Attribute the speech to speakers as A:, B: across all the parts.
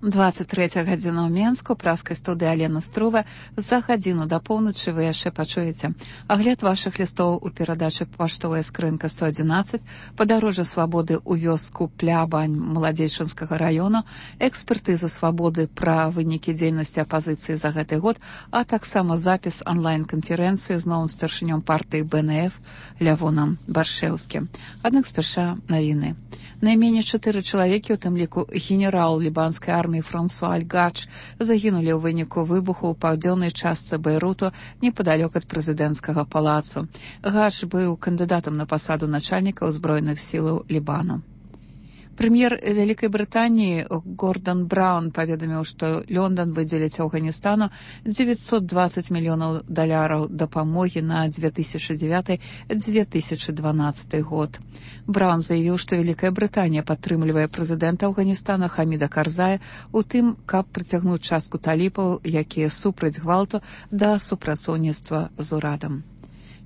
A: 23 гадзіна ў Менску, праскай студыі Алена Струва. За гадзіну да поўначы вы яшчэ пачуеце агляд вашых лістоў у перадачы «Паштовая скрынка 111», падарожжа свабоды ў вёску Плябань Маладзейчынскага раёну, экспертыза свабоды пра вынікі дзейнасці апазіцыі за гэты год, а таксама запіс онлайн-канферэнцыі з новым старшынём партыі БНФ Лявонам Баршэўскім. Аднак спярша навіны. Найменей 4 чалавекі, у тым ліку генерал лібанскай арміі Франсуа Аль-Гач, загінулі ў выніку выбуху ў паўдзённай частцы Бейруту непадалёк ад прэзідэнцкага палацу. Гач быў кандыдатам на пасаду начальніка ўзброеных сілаў Лібану. Прэм'ер Вялікай Брытаніі Гордан Браўн паведаміў, што Лондон выдзеліць Афганістану $920 мільёнаў дапамогі на 2009-2012 год. Браўн заявіў, што Вялікая Брытанія падтрымлівае прэзідэнта Афганістана Хаміда Карзая у тым, каб прыцягнуць частку талібаў, якія супраць гвалту, да супрацоўніцтва з урадам.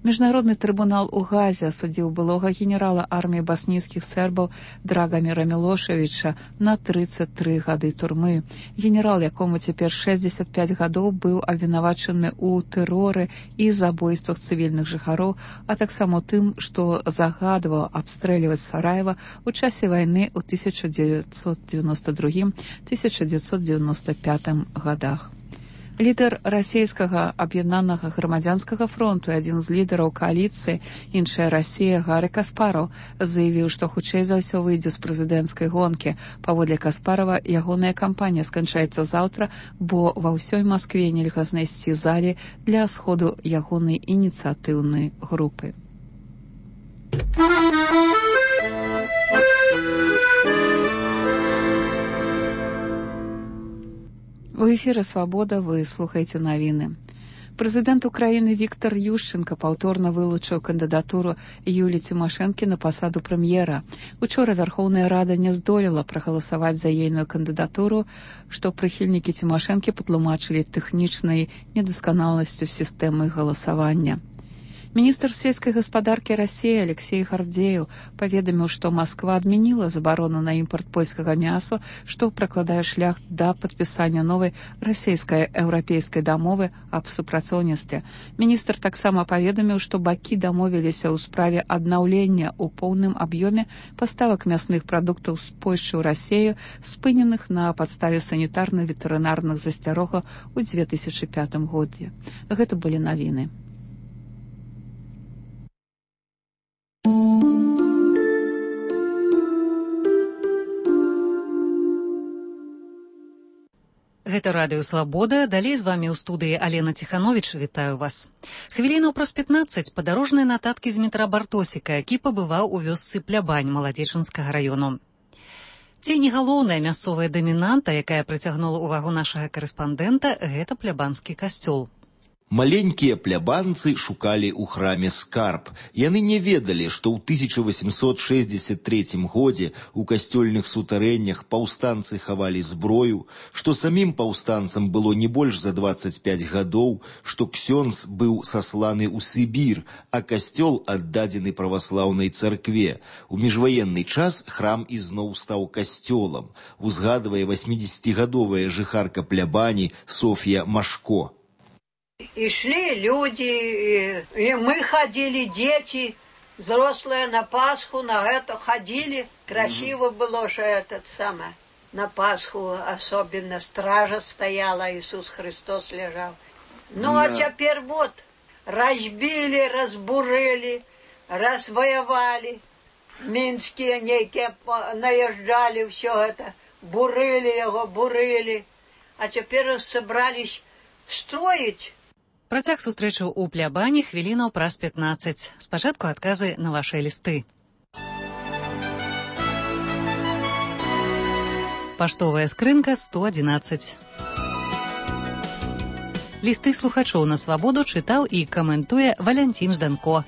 A: Міжнародны трыбунал у Газе асудзіў былога генерала арміі баснійскіх сербаў Драгаміра Мілошевіча на 33 гады турмы. Генерал, якому цяпер 65 гадоў, быў абвінавачаны ў тэроры і забойствах цывільных жыхароў, а таксама ў тым, што загадваў абстрэльваць Сараева ў часе вайны ў 1992-1995 гадах. Лідар расійскага аб'яднанага грамадзянскага фронту і адзін з лідараў кааліцыі «Іншая Расія» Гары Каспараў заявіў, што хутчэй за ўсё выйдзе з прэзідэнцкай гонкі. Паводле Каспарава, ягоная кампанія сканчаецца заўтра, бо ва ўсёй Маскве нельга знайсці залі для сходу ягонай ініцыятыўнай групы. У эфіры «Свабода» вы слухаеце навіны. Прэзідэнт Украіны Віктор Ющенка паўторна вылучыў кандыдатуру Юліі Цімашэнкі на пасаду прэм'ера. Учора Вярхоўная Рада не здолела прагаласаваць за ейную кандыдатуру, што прыхільнікі Цімашэнкі патлумачылі тэхнічнай недасканаласцю сістэмы галасавання. Міністр сельскай гаспадаркі Расіі Алексей Гардзеў паведаміў, што Масква адмяніла забарону на імпорт польскага мяса, што пракладае шлях да падпісання новай расійска-еўрапейскай дамовы аб супрацоўніцтве. Міністр таксама паведаміў, што бакі дамовіліся ў справе аднаўлення ў поўным аб'ёме паставак мясных прадуктаў з Польшчы ў Расію, спыненых на падставе санітарна-ветэрынарных засцярогаў у 2005 годзе. Гэта былі навіны.
B: Гэта радыё «Свабода». Далей з вамі ў студыі Алена Ціхановіч. Вітаю вас. Хвілінаў праз 15 падарожныя нататкі з метра Бартосіка, які пабываў у вёсцы Плябань Маладзейчынскага раёну. Ці не галоўная мясцовая дамінанта, якая прыцягнула ўвагу нашага карэспандэнта, гэта плябанскі касцёл.
C: Маленькія плябанцы шукалі ў храме скарб. Яны не ведалі, што ў 1863 годзе ў касцёльных сутарэннях паўстанцы хавалі зброю, што самім паўстанцам было не больш за 25 гадоў, што ксёндз быў сасланы ў Сібір, а касцёл аддадзены праваслаўнай царкве. У міжваенны час храм ізноў стаў касцёлам, узгадвае 80-гадовая жыхарка Плябані Софья Машко.
D: И шли люди, и мы ходили, дети, взрослые на Пасху, на это ходили. Красиво было, что этот самое. На Пасху особенно стража стояла, Иисус Христос лежал. Ну а теперь вот, разбили, разбурили, развоевали. Минские некие наезжали, все это, бурили его, бурили. А теперь собрались строить.
B: Працяг сустрэчаў у Плябані хвілінаў праз 15. Спачатку адказы на вашыя лісты. Паштовая скрынка 111. Лісты слухачоў на Свабоду чытаў і каментуе Валянцін Жданко.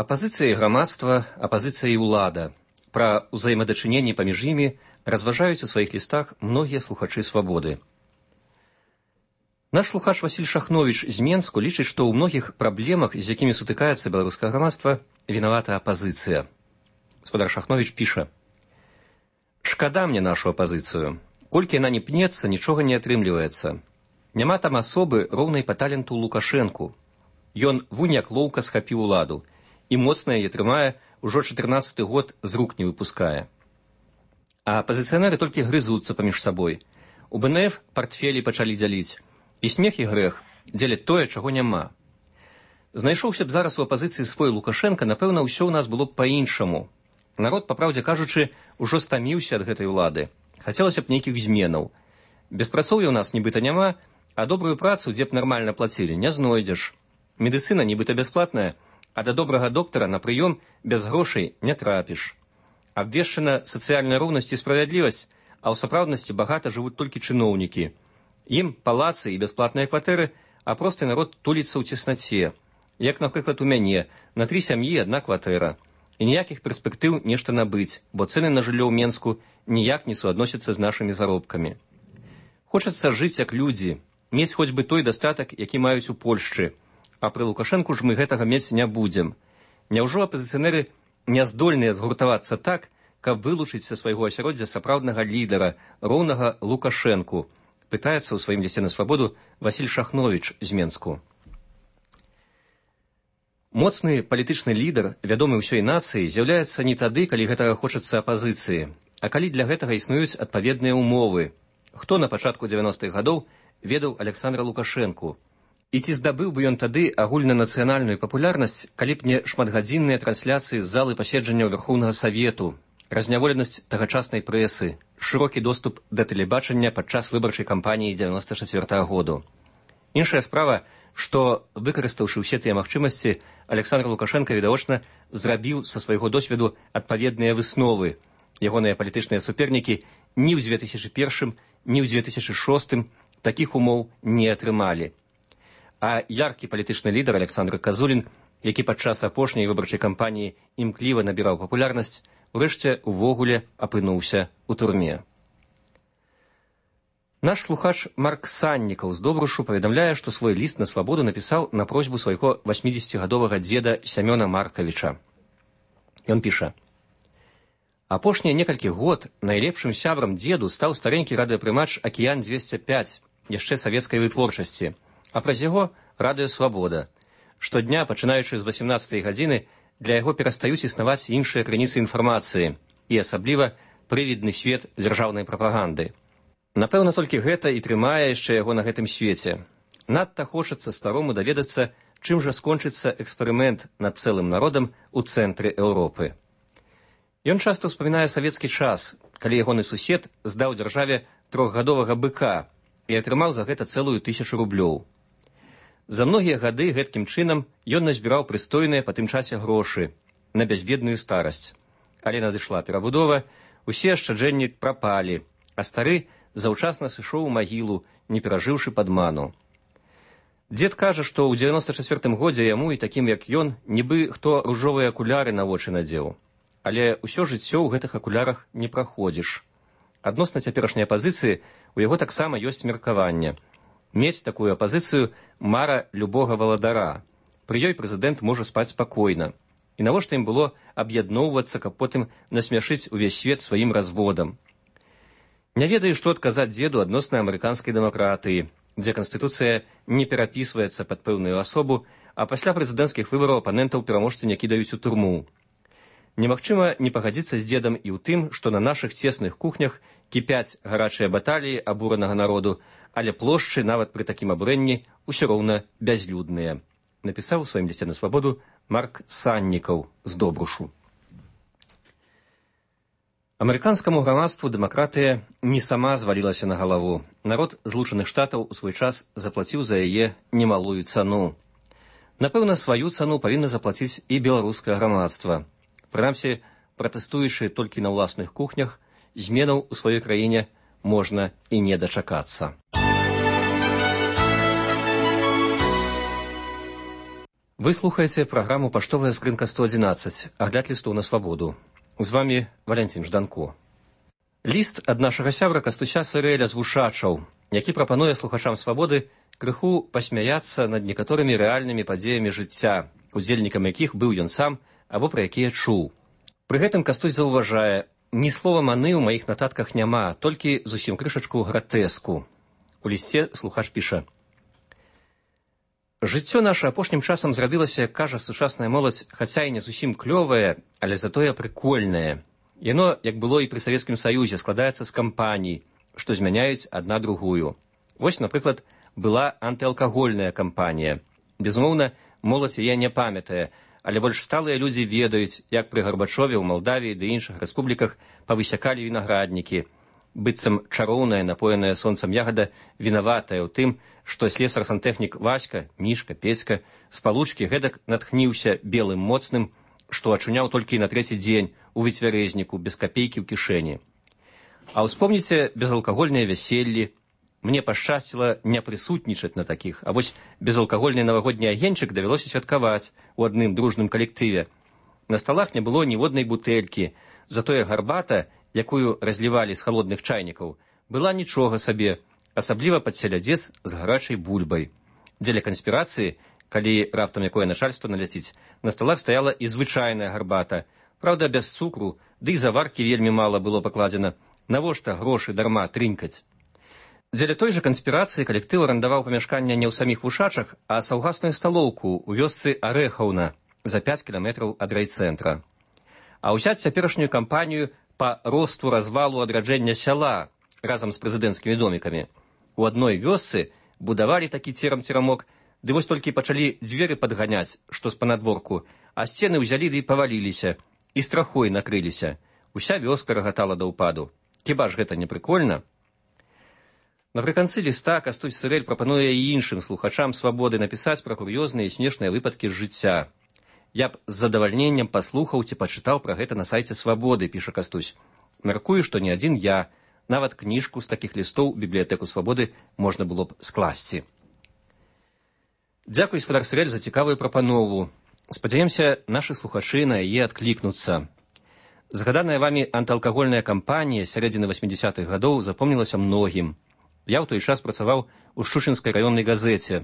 E: Апазіцыя і грамадства, апазіцыя і ўлада. Пра ўзаемадачыненні паміж імі разважаюць у сваіх лістах многія слухачы Свабоды. Наш слухач Васіль Шахновіч з Менску лічыць, што ў многіх праблемах, з якімі сутыкаецца беларускае грамадства, вінавата апазіцыя. Гаспадар Шахновіч піша: Шкада мне нашу апазіцыю. Колькі яна не пнецца, нічога не атрымліваецца. Няма там асобы, роўнай па таленту Лукашэнку. Ён вунь як лоўка схапіў уладу, і моцна яе трымае, ужо 14-й год з рук не выпускае. А апазіцыянеры толькі грызуцца паміж сабой. У БНФ партфелі пачалі дзяліць. І смех і грэх дзеляць тое, чаго няма. Знайшоўся б зараз у апазіцыі свой Лукашенка, напэўна, ўсё ў нас было б па-іншаму. Народ, па праўдзе кажучы, ужо стаміўся ад гэтай улады. Хацелася б нейкіх зменаў. Беспрацоўя ў нас нібыта няма, а добрую працу, дзе б нармальна плацілі, не знойдзеш. Медыцына нібыта бясплатная, а да добрага доктара на прыём без грошай не трапіш. Абвешчана сацыяльная роўнасць і справядлівасць, а ў сапраўднасці багата жывуць толькі чыноўнікі. Ім палацы і бясплатныя кватэры, а просты народ туліцца ў цеснаце. Як, напрыклад, у мяне, на 3 сям'і 1 кватэра. І ніякіх перспектыў нешта набыць, бо цэны на жыллё ў Менску ніяк не суадносяцца з нашымі заробкамі. Хочацца жыць як людзі, мець хоць бы той дастатак, які маюць у Польшчы. А пры Лукашэнку ж мы гэтага мець не будзем. Няўжо апазіцыянеры не здольныя згуртавацца так, каб вылучыць са свайго асяроддзя сапраўднага лідара, роўнага Лукашэнку? Пытаецца ў сваім лісце на свабоду Васіль Шахновіч з Менску. Моцны палітычны лідар, вядомы ўсёй нацыі, з'яўляецца не тады, калі гэтага хочацца апазіцыі, а калі для гэтага існуюць адпаведныя ўмовы. Хто на пачатку 90-х гадоў ведаў Аляксандра Лукашэнку? І ці здабыў бы ён тады агульнанацыянальную папулярнасць, калі б не шматгадзінныя трансляцыі з залы паседжанняў Верхоўнага Савету, разняволенасць тагачаснай прэсы, шырокі доступ да тэлебачання падчас выбарчай кампаніі 94-го году. Іншая справа, што, выкарыстаўшы ўсе тыя магчымасці, Аляксандр Лукашенко, відавочна, зрабіў са свайго досведу адпаведныя высновы. Ягоныя палітычныя супернікі ні ў 2001, ні ў 2006 такіх умоў не атрымалі. А яркі палітычны лідар Александр Казулін, які падчас апошняй выбарчай кампаніі імкліва набіраў папулярнасць, урэшце увогуле апынуўся ў турме. Наш слухач Марк Саннікаў з Добрушу паведамляе, што свой ліст на свабоду напісаў на просьбу свайго 80-гадовага дзеда Сямёна Маркавіча. Ён піша: «Апошнія некалькі год найлепшым сябрам дзеду стаў старенькі радыёпрымач «Акіян-205», яшчэ савецкай вытворчасці, а праз яго радыё «Свабода». Штодня, пачынаючы з 18-й гадзіны, для яго перастаюць існаваць іншыя крыніцы інфармацыі і асабліва прывідны свет дзяржаўнай прапаганды. Напэўна, толькі гэта і трымае яшчэ яго на гэтым свеце. Надта хочацца старому даведацца, чым жа скончыцца эксперымент над цэлым народам у цэнтры Еўропы. Ён часта ўспамінае савецкі час, калі ягоны сусед здаў дзяржаве 3-гадовага быка і атрымаў за гэта цэлую 1000 рублёў. За многія гады гэткім чынам ён назбіраў прыстойныя па тым часе грошы на бязбедную старасць. Але надышла перабудова, усе ашчаджэнні прапалі, а стары заўчасна сышоў у магілу, не перажыўшы падману. Дзед кажа, што ў 94-м годзе яму і такім, як ён, нібы хто ружовыя акуляры на вочы надзеў. Але ўсё жыццё ў гэтых акулярах не праходзіш. Адносна цяперашняй апазіцыі у яго таксама ёсць меркаванне. Мець такую апазіцыю – мара любога валадара. Пры ёй прэзідэнт можа спаць спакойна. І навошта ім было аб'ядноўвацца, каб потым насмяшыць увесь свет сваім разводам? Не ведаю, што адказаць дзеду адносна амерыканскай дэмакратыі, дзе канстытуцыя не перапісваецца пад пэўную асобу, а пасля прэзідэнцкіх выбараў апанентаў пераможцы не кідаюць у турму. Немагчыма не пагадзіцца з дзедам і ў тым, што на нашых цесных кухнях кіпяць гарачыя баталіі абуранага народу, але плошчы нават пры такім абурэнні ўсё роўна бязлюдныя. Напісаў у сваім лісце на свабоду Марк Саннікаў з Добрушу. Амерыканскаму грамадству дэмакратыя не сама звалілася на галаву. Народ Злучаных Штатаў у свой час заплаціў за яе немалую цану. Напэўна, сваю цану павінна заплаціць і беларускае грамадства. Прынамсі, пратэстуючы толькі на ўласных кухнях, зменаў у сваёй краіне можна і не дачакацца. Вы слухаеце праграму «Паштовая скрынка 111», агляд лістоў на свабоду. З вамі Валянцін Жданко. Ліст ад нашага сябра Кастуся Сырэля з Вушачаў, які прапануе слухачам свабоды крыху пасмяяцца над некаторымі рэальнымі падзеямі жыцця, удзельнікам якіх быў ён сам або пра якія чуў. Пры гэтым Кастусь заўважае, Ні слова маны ў маіх нататках няма, толькі зусім крышачку гратэску. У лісце слухач піша: «Жыццё наша апошнім часам зрабілася, як кажа сучасная моладзь, хаця і не зусім клёвае, але затое прыкольнае. Яно, як было і пры Савецкім Саюзе, складаецца з кампаній, што змяняюць адна другую. Вось, напрыклад, была антыалкагольная кампанія. Безумоўна, моладзь яе не памятае, але больш сталыя людзі ведаюць, як пры Гарбачове ў Малдавіі ды іншых рэспубліках павысякалі вінаграднікі. Быццам чароўная, напоеная сонцам ягада, вінаватая ў тым, што слесар-сантэхнік Васька, Мішка, Пецька з палучкі гэтак натхніўся белым моцным, што ачуняў толькі на трэці дзень у выцвярэзніку, без капейкі ў кішэні. А ўспомніце безалкагольныя вяселлі. Мне пашчасціла не прысутнічаць на такіх, а вось безалкагольны навагодні агеньчык давялося святкаваць у адным дружным калектыве. На сталах не было ніводнай бутэлькі, затое гарбата, якую разлівалі з халодных чайнікаў, была нічога сабе, асабліва пад селядзец з гарачай бульбай. Дзеля канспірацыі, калі раптам якое начальство наляціць, на сталах стаяла і звычайная гарбата, праўда, без цукру, ды і заваркі вельмі мала было пакладзена. Навошта грошы дарма трынькаць? Дзеля той жа канспірацыі калектыў арандаваў памяшканне не ў саміх вушачах, а саўгасную сталоўку ў вёсцы Арэхаўна за 5 кіламетраў ад райцэнтра. А ўзяць цяперашнюю кампанію па росту развалу адраджэння сяла разам з прэзідэнцкімі домікамі. У адной вёсцы будавалі такі церам-церамок, ды вось толькі пачалі дзверы падганяць, што з панадворку, а сцены ўзялі ды паваліліся, і страхой накрыліся. Уся вёска рагатала да ўпаду. Хіба ж гэта не прыкольна? Напрыканцы ліста Кастусь Сырэль прапануе і іншым слухачам свабоды напісаць пра кур'ёзныя і смешныя выпадкі з жыцця. Я б з задавальненнем паслухаў ці пачытаў пра гэта на сайце Свабоды, піша Кастусь. Мяркую, што не адзін я, нават кніжку з такіх лістоў у бібліятэку Свабоды можна было б скласці. Дзякуй, гаспадар Сырэль, за цікавую прапанову. Спадзяёмся, нашы слухачы на яе адклікнуцца. Згаданая вамі антыалкагольная кампанія сярэдзіны 80-х гадоў запомнілася многім. Я ў той час працаваў у Шчучынскай раённай газеце.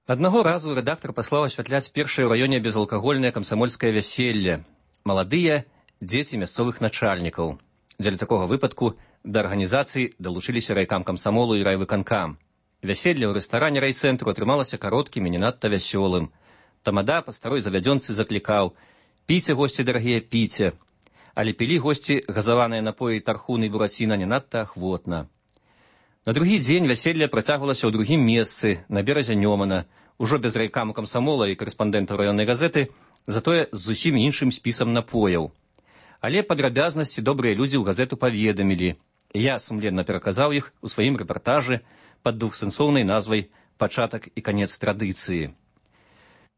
E: Аднаго разу рэдактар паслаў асвятляць першае ў раёне безалкагольнае камсамольскае вяселле. Маладыя дзеці мясцовых начальнікаў. Дзеля такога выпадку да арганізацыі далучыліся райкам камсамолу і райвыканкам. Вяселле ў рэстаране райцэнтру атрымалася кароткім і не надта вясёлым. Тамада па старой завядзёнцы заклікаў: «Піце, госці дарагія, піце». Але пілі госці газаваныя напоі тархуны і бураціна не надта ахвотна. На другі дзень вяселле працягвалася ў другім месцы, на беразе Нёмана, ужо без райкаму камсамола і карэспандэнтаў раённай газеты, затое з зусім іншым спісам напояў. Але падрабязнасці добрыя людзі ў газету паведамілі. Я сумленна пераказаў іх у сваім рэпартажы пад двухсэнсоўнай назвай «Пачатак і канец традыцыі».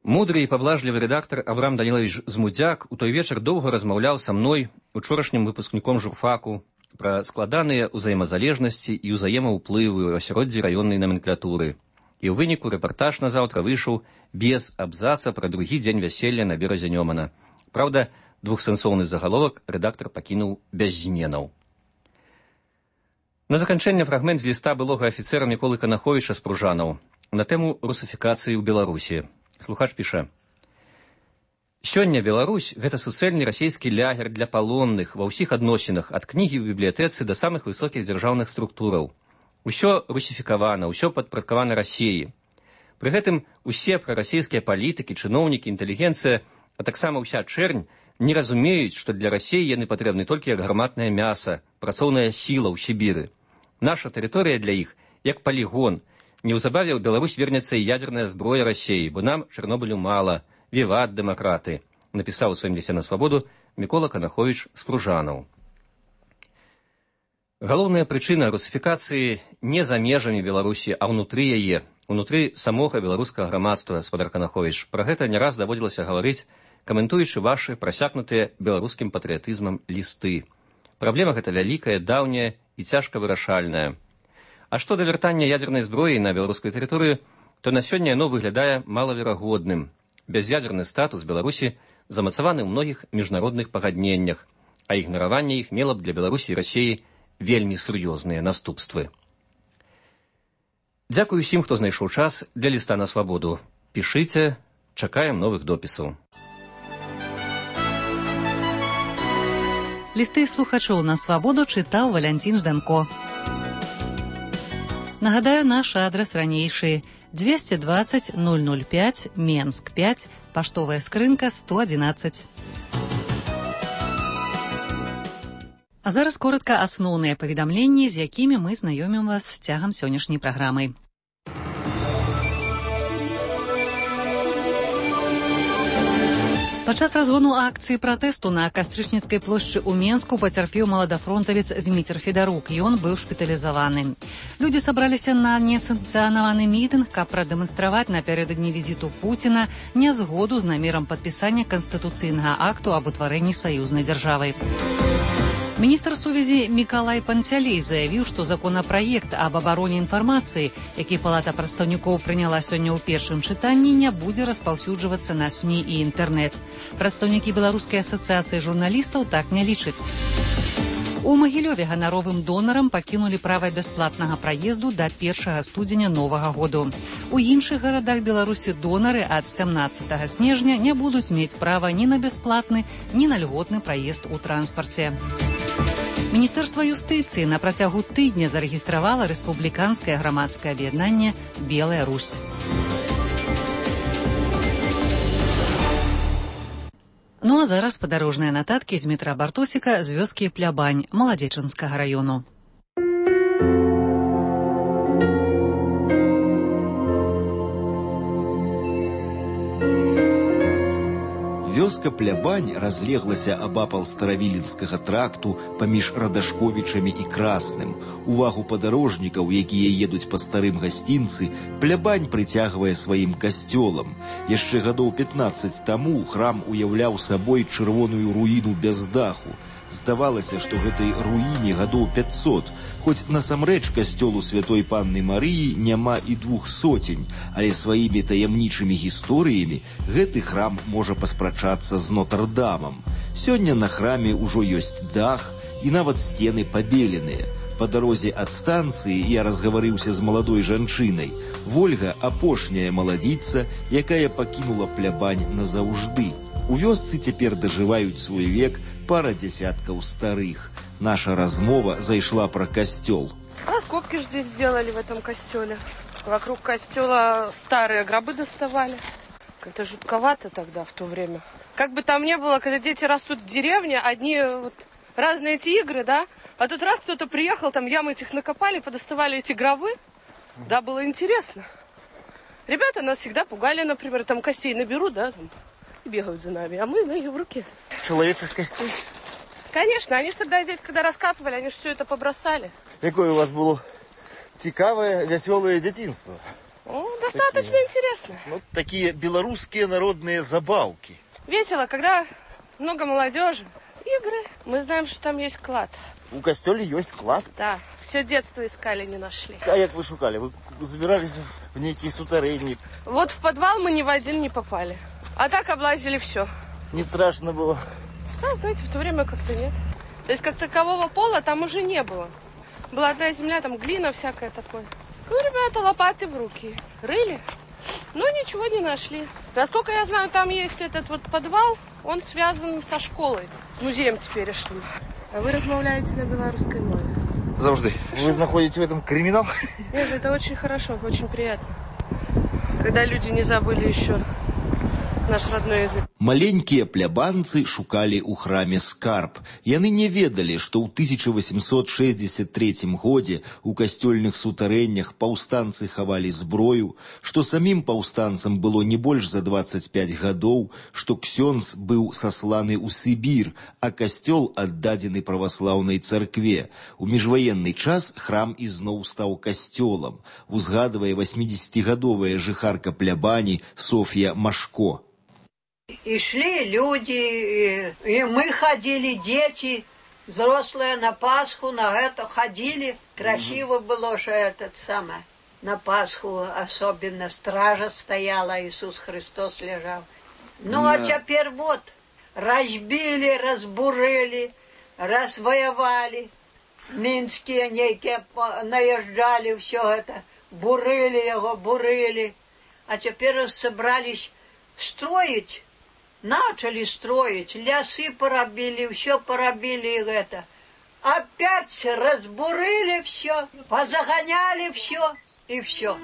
E: Мудры і паблажлівы рэдактар Абрам Данілавіч Змудзяк у той вечар доўга размаўляў са мной, учорашнім выпускніком журфаку, пра складаныя ўзаемазалежнасці і ўзаемаўплывы ў асяроддзі раённай наменклатуры. І ў выніку рэпартаж назаўтра выйшаў без абзаца пра другі дзень вяселля на беразе Нёмана. Праўда, двухсэнсоўны загаловак рэдактар пакінуў без зменаў. На заканчэнне фрагмент з ліста былога афіцэра Міколы Канаховіча з Пружанаў на тэму русафікацыі ў Беларусі. Слухач піша: «Сёння Беларусь – гэта суцэльны расійскі лягер для палонных ва ўсіх адносінах, ад кнігі ў бібліятэцы да самых высокіх дзяржаўных структураў. Усё русіфікавана, ўсё падпарадкавана Расіі. Пры гэтым усе прарасійскія палітыкі, чыноўнікі, інтэлігенцыя, а таксама ўся чэрнь не разумеюць, што для Расіі яны патрэбны толькі як гарматнае мяса, працоўная сіла ў Сібіры. Наша тэрыторыя для іх як палігон. Неўзабаве ў Беларусь вернецца і ядзерная зброя Расіі, бо нам Чарнобылю мала. Віват дэмакраты», напісаў у сваім лісце на Свабоду Мікола Канаховіч з Пружанаў. Галоўная прычына русіфікацыі не за межамі Беларусі, а ўнутры яе, унутры самога беларускага грамадства, гаспадар Канаховіч. Пра гэта не раз даводзілася гаварыць, каментуючы вашы прасякнутыя беларускім патрыятызмам лісты. Праблема гэта вялікая, даўняя і цяжка вырашальная. А што да вяртання ядзернай зброі на беларускую тэрыторыю, то на сёння яно выглядае малаверагодным. Бяз'ядзерны статус Беларусі замацаваны ў многіх міжнародных пагадненнях, а ігнараванне іх мела б для Беларусі і Расіі вельмі сур'ёзныя наступствы. Дзякую усім, хто знайшоў час для ліста на Свабоду. Пішыце, чакаем новых допісаў.
B: Лісты слухачоў на свабоду чытаў Валянцін Жданко. Нагадаю, наш адрес ранейшы: 220 005, Менск 5, паштовая скрынка 111. А зараз коротка асноўныя паведамленні, з якімі мы знаёмім вас цягам сённяшняй праграмы. Падчас разгону акцыі пратэсту на Кастрычніцкай плошчы ў Менску пацярпеў маладафронтавец Зміцер Федарук. Ён быў шпіталізаваны. Людзі сабраліся на несанкцыянаваны мітынг, каб прадэманстраваць напярэдадні візіту Пуціна нязгоду з намерам падпісання канстытуцыйнага акту аб утварэнні саюзнай дзяржавы. Міністр сувязі Мікалай Панцялей заявіў, што законапраект аб абароне інфармацыі, які Палата прадстаўнікоў прыняла сёння ў першым чытанні, не будзе распаўсюджвацца на СМІ і інтэрнэт. Прадстаўнікі Беларускай асацыяцыі журналістаў так не лічаць. У Магілёве ганаровым донарам пакінулі права бясплатнага праезду да 1 студзеня новага году. У іншых гарадах Беларусі донары ад 17 снежня не будуць мець права ні на бясплатны, ні на льготны праезд у транспарце. Міністэрства юстыцыі на працягу тыдня зарэгістравала рэспубліканскае грамадскае аб'яднанне «Белая Русь». Ну а зараз падарожныя нататкі з метра Бартосіка з вёскі Плябань Маладзечанскага раёну.
C: Вёска Плябань разлеглася абапал старавіленскага тракту паміж Радашковічамі і Красным. Увагу падарожнікаў, якія едуць па старым гасцінцы, Плябань прыцягвае сваім касцёлам. Яшчэ гадоў 15 таму храм уяўляў сабой чырвоную руіну без даху. Здавалася, што гэтай руіне гадоў 500, хоць насамрэч касцёлу святой Панны Марыі няма і 200, але сваімі таямнічымі гісторыямі гэты храм можа паспрачацца з Нотр-Дамам. Сёння на храме ўжо ёсць дах і нават сцены пабеленыя. Па дарозе ад станцыі я разгаварыўся з маладой жанчынай. Вольга апошняя маладзіца, якая пакінула Плябань назаўжды. У вёсцы цяпер дажываюць свой век пара дзясяткаў старых. Наша размова зайшла про костел.
F: Раскопки же здесь сделали в этом костеле. Вокруг костела старые гробы доставали. Как-то жутковато тогда, в то время. Как бы там ни было, когда дети растут в деревне, одни вот разные эти игры, да? А тут раз кто-то приехал, там ямы этих накопали, подоставали эти гробы. Да, было интересно. Ребята нас всегда пугали, например, там костей наберут, да, там, и бегают за нами, а мы ноги в руке.
G: Человеческих костей?
F: Конечно, они же тогда здесь, когда раскапывали, они же все это побросали.
G: Какое у вас было цікавое, веселое детинство?
F: Достаточно интересно.
G: Ну, такие белорусские народные забавки.
F: Весело, когда много молодежи, игры. Мы знаем, что там есть клад.
G: У костёле есть клад?
F: Да, все детство искали, не нашли.
G: А як вы шукали? Вы забирались в некий сутарейник?
F: Вот в подвал мы ни в один не попали. А так облазили все.
G: Не страшно было?
F: Да, знаете, в то время как-то нет. То есть как такового пола там уже не было. Была одна земля, там глина всякая такое. Ну, ребята, лопаты в руки рыли, но ничего не нашли. Насколько я знаю, там есть этот вот подвал, он связан со школой, с музеем теперешним. А вы размовляете на белорусской мове.
G: Завжди. Вы находите в этом криминал?
F: Нет, это очень хорошо, очень приятно. Когда люди не забыли еще наш родной язык.
C: Маленькія плябанцы шукалі ў храме скарб. Яны не ведалі, што ў 1863 годзе у касцёльных сутарэннях паўстанцы хавалі зброю, што самім паўстанцам было не больш за 25 гадоў, што ксёндз быў сасланы ў Сібір, а касцёл аддадзены праваслаўнай царкве. У міжваенны час храм ізноў стаў касцёлам, узгадвае 80-гадовая жыхарка Плябані Софья Машко.
D: И шли люди, и мы ходили, дети, взрослые на Пасху, на это ходили. Красиво было, что этот самый, на Пасху особенно стража стояла, Иисус Христос лежал. Ну, а теперь вот, разбили, разбурили, развоевали. Минские некие наезжали, все это, бурили его, бурили. А теперь собрались строить начали строить, лясы поробили, все поробили это. Опять разбурили все, позагоняли все и все.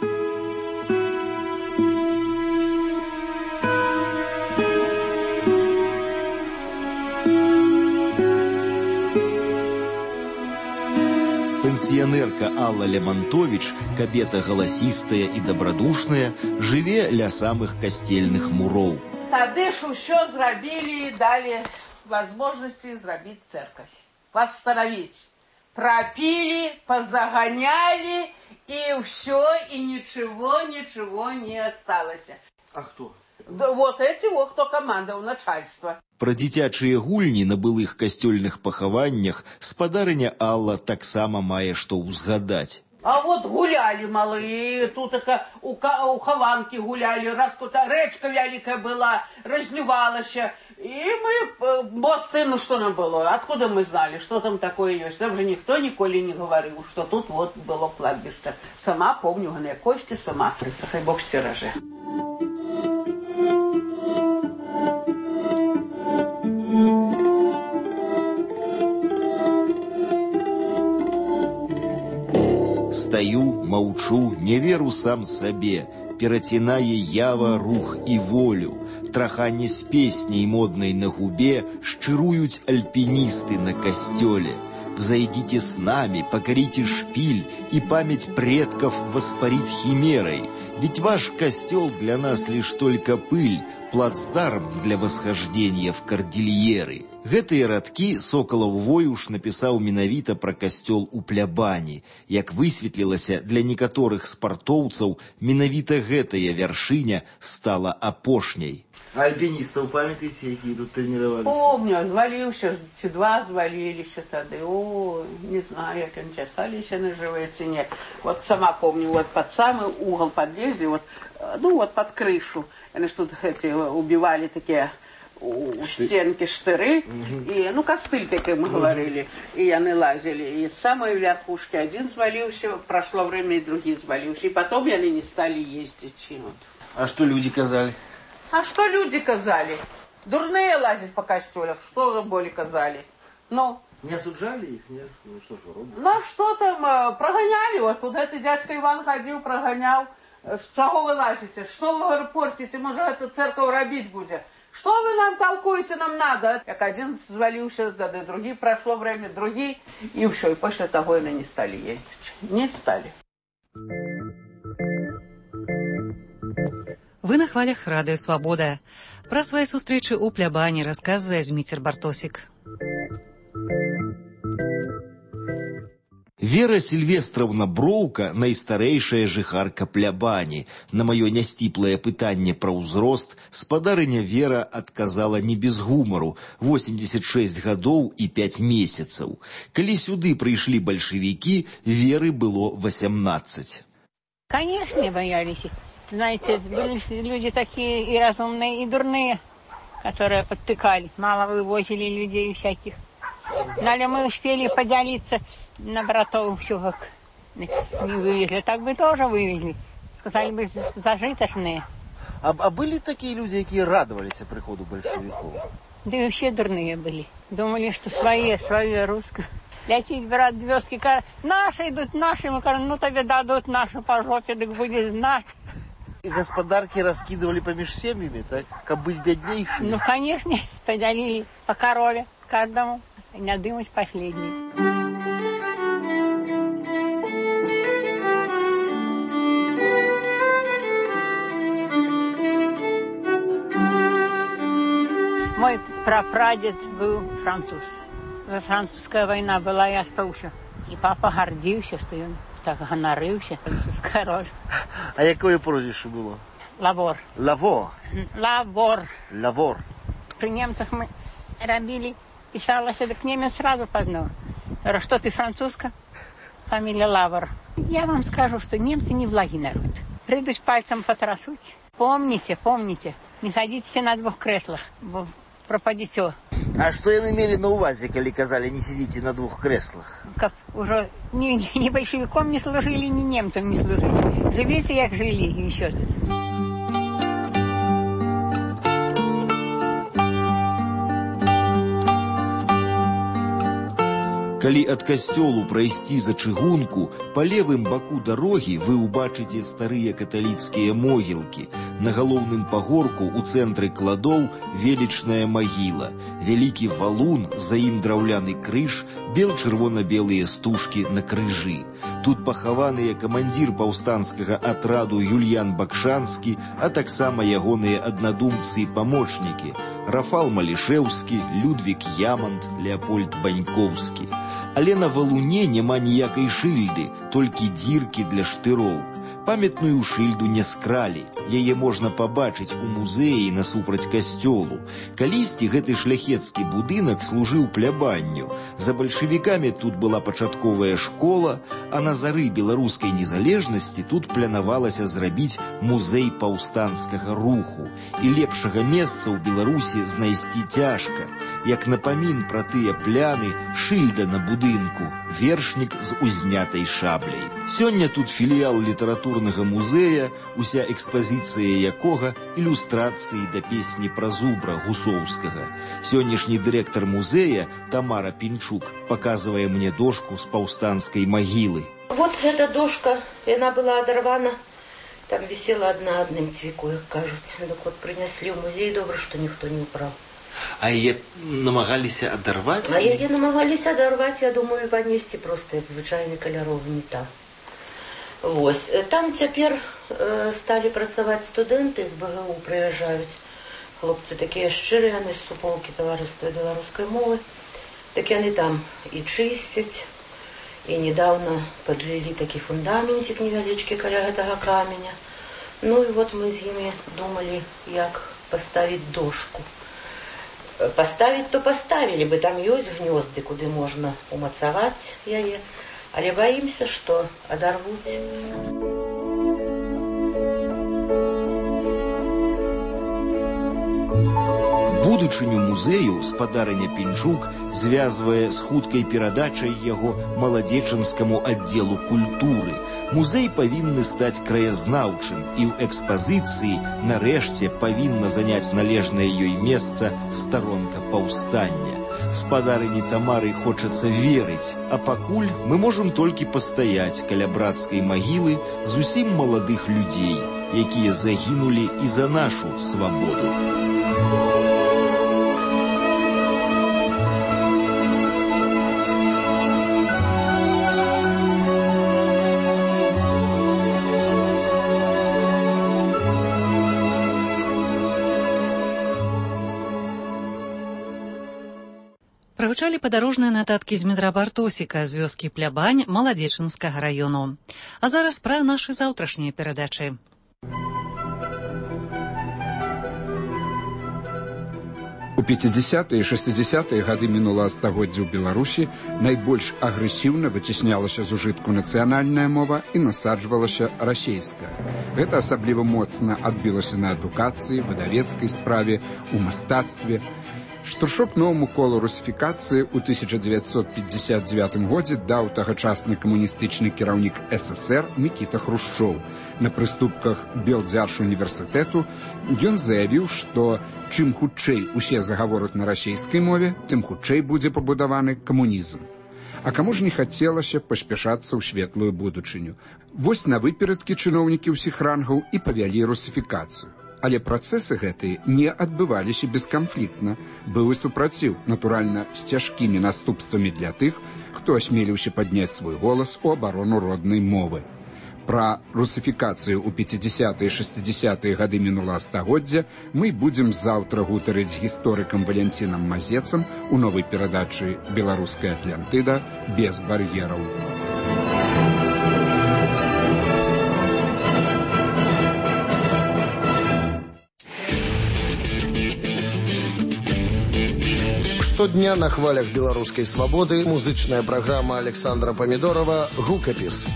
C: Пенсіянерка Алла Лямантович, кабета галасістая і дабрадушная, жыве ля самых касцельных муроў.
H: Тады ж усё зрабілі і далі возможности зрабіць церковь, восстановить. Пропили, позагоняли, и все, и ничего не осталось.
G: А кто?
H: Да вот эти вот, кто командовал, начальство.
C: Пра дзіцячыя гульні на былых касцёльных пахаваннях спадарыня Алла таксама мае што ўзгадаць.
H: А вот гуляли малые, тут у Хованки гуляли, раз куда речка великая была, разливалась. И мы, мосты, ну что нам было, откуда мы знали, что там такое есть. Нам же никто николи не говорил, что тут вот было кладбище. Сама помню, на кости сама, хай бог стероже.
C: Стаю, маўчу, не веру сам сабе, перацінае ява, рух і волю. Траханне з песняй моднай на губе шчыруюць альпіністы на касцёле. Взойдите с нами, покорите шпиль, и память предков воспарит химерой. Ведь ваш костел для нас лишь только пыль, плацдарм для восхождения в кордильеры. Гэтыя радкі Сокалаў Воюш напісаў менавіта пра касцёл у Плябані. Як высветлілася, для некаторых спартоўцаў менавіта гэтая вяршыня стала апошняй.
G: А альпинистов памятаете, якія тут тренировались?
H: Помню, звалился, два звалились тады. О, не знаю, як они остались на живой цене. Вот сама помню, вот под самый угол подлезли, вот, ну вот под крышу. Они что-то эти убивали такие у стенки штыры, и, ну, костыль, как мы говорили, и они лазили. И с самой верхушки один звалился, прошло время, и другие звалился. И потом они не стали ездить. Вот.
G: А что люди казали?
H: А что люди казали? Дурные лазить по костюлях, что более казали? Ну,
G: не осуждали их, нет? Ну что ж, робят?
H: Ну, что там, прогоняли, вот туда этот дядька Иван ходил, прогонял. Чего вы лазите? Что вы, говорю, портите? Может, эту церковь робить будет? Что вы нам толкуете, нам надо? Как один звалился, да, другие, прошло время, другие. И все, и после того они не стали ездить. Не стали.
B: Вы на хвалях Радыё Свабода. Пра свае сустрэчы ў Плябані расказвае Зміцер Бартосік.
C: Вера Сільвестраўна Броўка, найстарэйшая жыхарка Плябані. На маё нясціплае пытанне пра ўзрост спадарыня Вера адказала не без гумару. 86 гадоў і 5 месяцаў. Калі сюды прыйшлі бальшавікі, Веры было 18.
I: Конечно, боялись. Знаете, были люди такие и разумные, и дурные, которые подтыкали. Мало вывозили людей всяких. Но мы успели поделиться на братов, все как не вывезли. Так бы тоже вывезли. Сказали бы, зажиточные.
G: А были такие люди, которые радовались приходу большевиков?
I: Да и вообще дурные были. Думали, что свои русские. Летит, брат, звездки, наши идут, наши. Мы говорим, ну тебе дадут нашу по жопе, так будет знать.
G: И господарки раскидывали помеж семьями, так? Как быть беднейшими?
I: Ну, конечно, поделили по корове каждому. И надымать последний. Мой прапрадед был француз. Французская война была, я остался. И папа гордился, что он так гонорился, французская рода.
G: А какое прозвище было?
I: Лавор.
G: Лавор?
I: Лавор.
G: Лавор.
I: При немцах мы робили. Писалась, так немец сразу познал. Говорю, что ты французка? Фамилия Лавр. Я вам скажу, что немцы не благий народ. Придут пальцем потрясуть. Помните, не садитесь на двух креслах, пропадете.
G: А что они имели на увазе, когда казали, не сидите на двух креслах?
I: Как уже ни большевиком не служили, ни немцам не служили. Живите, как жили, и еще тут.
C: Калі ад касцёлу прайсці за чыгунку, па левым баку дарогі вы ўбачыце старыя каталіцкія могілкі. На галоўным пагорку ў цэнтры кладоў велічная магіла, вялікі валун, за ім драўляны крыж, бел-чырвона-белыя стужкі на крыжы. Тут пахаваныя камандзір паўстанцкага атраду Юльян Бакшанскі, а таксама ягоныя аднадумцы і памочнікі Рафал Малішэўскі, Людвік Ямант, Леапольд Банькоўскі. Але на валуне няма ніякай шыльды, толькі дзіркі для штыроў. Памятную шыльду не скралі, яе можна пабачыць у музеі насупраць касцёлу. Калісьці гэты шляхецкі будынак служыў плябанню. За бальшавікамі тут была пачатковая школа, а на зары беларускай незалежнасці тут планавалася зрабіць музей паўстанцкага руху. І лепшага месца ў Беларусі знайсці цяжка. Як напамін пра тыя пляны, шыльда на будынку, вершнік з узнятай шабляй. Сёння тут філіял літаратурнага музея, уся экспазіцыя якога ілюстрацыі да песні пра зубра Гусоўскага. Сённяшні дырэктар музея Тамара Пінчук паказвае мне дошку з паўстанцкай магілы.
J: Вот эта дошка, яна была адарвана, там висела одна адным цвіку, як кажуць. Так вот прынеслі ў музей, добра, што ніхто не ўпраў.
G: А яе намагаліся адарваць?
J: А яе намагаліся адарваць, я думаю, панесці проста як звычайны каляровы метал. Вось. Там цяпер сталі працаваць студэнты з БГУ, прыязджаюць. Хлопцы такія шчырыя, яны з суполкі таварыства беларускай мовы. Так яны там і чысцяць, і недавно подлілі такі фундаментик невялічкі каля гэтага каменя. Ну і вот мы з імі думалі, як паставіць дошку. Паставіць то паставілі бы, там ёсць гнёзды, куды можна умацаваць яе, але баімся, што адарвуць.
C: Будучыню музею спадарыня Пінчук звязвае з хуткай перадачай яго маладзечанскаму аддзелу культуры. Музей павінны стаць краязнаўчым і ў экспазіцыі нарэшце павінна заняць належнае ёй месца старонка паўстання. Спадарыні Тамары хочацца верыць, а пакуль мы можам толькі пастаяць каля брацкай магілы зусім маладых людзей, якія загінулі і за нашу свабоду.
B: Прагучалі падарожныя нататкі з метра Бартосіка з вёскі Плябань Маладзечанскага раёну. А зараз пра нашы заўтрашнія перадачы.
K: У 50-е і 60-е гады мінулага стагоддзя ў Беларусі найбольш агрэсіўна выцеснялася з ужытку нацыянальная мова і насаджвалася расейская. Гэта асабліва моцна адбілася на адукацыі, выдавецкай справе, у мастацтве. Штуршок новому колу русіфікацыі ў 1959 годзе даў тагачасны камуністычны кіраўнік СССР Мікіта Хрушчоў. На прыступках Белдзяржуніверсітэту ён заявіў, што чым хутчэй усе загавораць на расійскай мове, тым хутчэй будзе пабудаваны камунізм. А каму ж не хацелася паспяшацца ў светлую будучыню. Вось на выперадкі чыноўнікі ўсіх рангаў і павялі русіфікацыю. Але працэсы гэтыя не адбываліся бесканфліктна. Быў і супраціў, натуральна, з цяжкімі наступствамі для тых, хто асмеліўся падняць свой голас у абарону роднай мовы. Пра русіфікацыю ў 50-е і 60-е гады мінулага стагоддзя мы будзем заўтра гутарыць з гісторыкам Валянцінам Мазецам у новай перадачы «Беларуская Атлантыда. Без бар'ераў».
L: Штодня на хвалях беларускай свабоды музычная праграма Александра Памідорова «Гукапіс».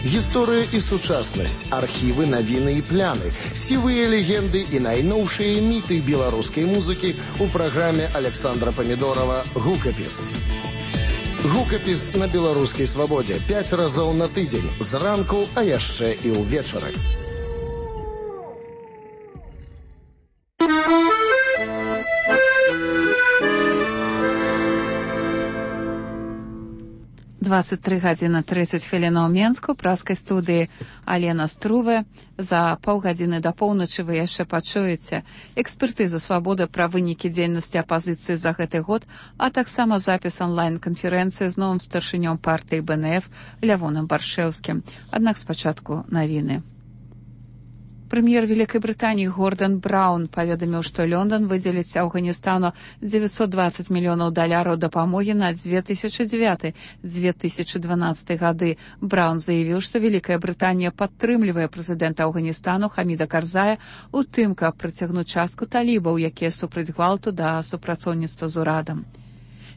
L: Гісторыя і сучаснасць, архівы, навіны і пляны, сівыя легенды і найноўшыя міты беларускай музыкі ў праграме Александра Памідорова «Гукапіс». Гукапіс на беларускай свабодзе 5 разоў на тыдзень, зранку, а яшчэ і ўвечары.
A: 23 гадзіны 30 хвілінаў Менску, праскай студыі Алена Струве. За паўгадзіны да поўначы вы яшчэ пачуеце экспертызу «Свабоды» пра вынікі дзейнасці апазіцыі за гэты год, а таксама запіс онлайн-канферэнцыі з новым старшынём партыі БНФ Лявоном Баршэўскім. Аднак спачатку навіны. Прэм'ер Вялікай Брытаніі Гордан Браўн паведаміў, што Лондон выдзеліць Афганістану $920 мільёнаў дапамогі на 2009-2012 гады. Браўн заявіў, што Вялікая Брытанія падтрымлівае прэзідэнта Афганістану Хаміда Карзая у тым, каб прыцягнуць частку талібаў, якія супраць гвалту да супрацоўніцтва з урадам.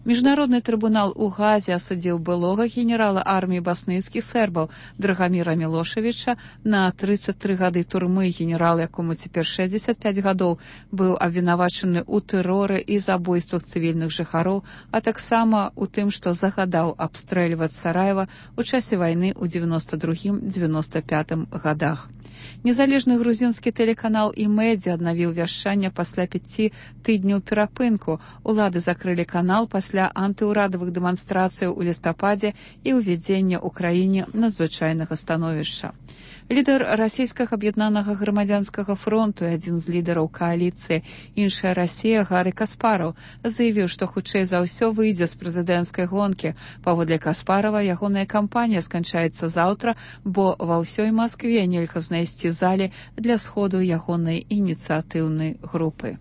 A: Міжнародны трыбунал у Газе асудзіў былога генерала арміі баснійскіх сербаў Драгаміра Мілошевіча на 33 гады турмы. Генерал, якому цяпер 65 гадоў, быў абвінавачаны ў тэроры і забойствах цывільных жыхароў, а таксама ў тым, што загадаў абстрэльваць Сараева ў часе вайны ў 92-95 гадах. Незалежны грузінскі тэлеканал «Імэдзі» аднавіў вяшчанне пасля 5 тыдняў перапынку. Улады закрылі канал пасля антыўрадавых дэманстрацыяў у лістападзе і ўвядзення ў краіне надзвычайнага становішча. Лідар расійскага аб'яднанага грамадзянскага фронту і адзін з лідараў кааліцыі «Іншая Расія» Гарі Каспараў заявіў, што хутчэй за ўсё выйдзе з прэзідэнцкай гонкі. Паводле Каспарава, ягоная кампанія сканчаецца заўтра, бо ва ўсёй Маскве нельга знайсці залі для сходу ягонай ініцыятыўнай групы.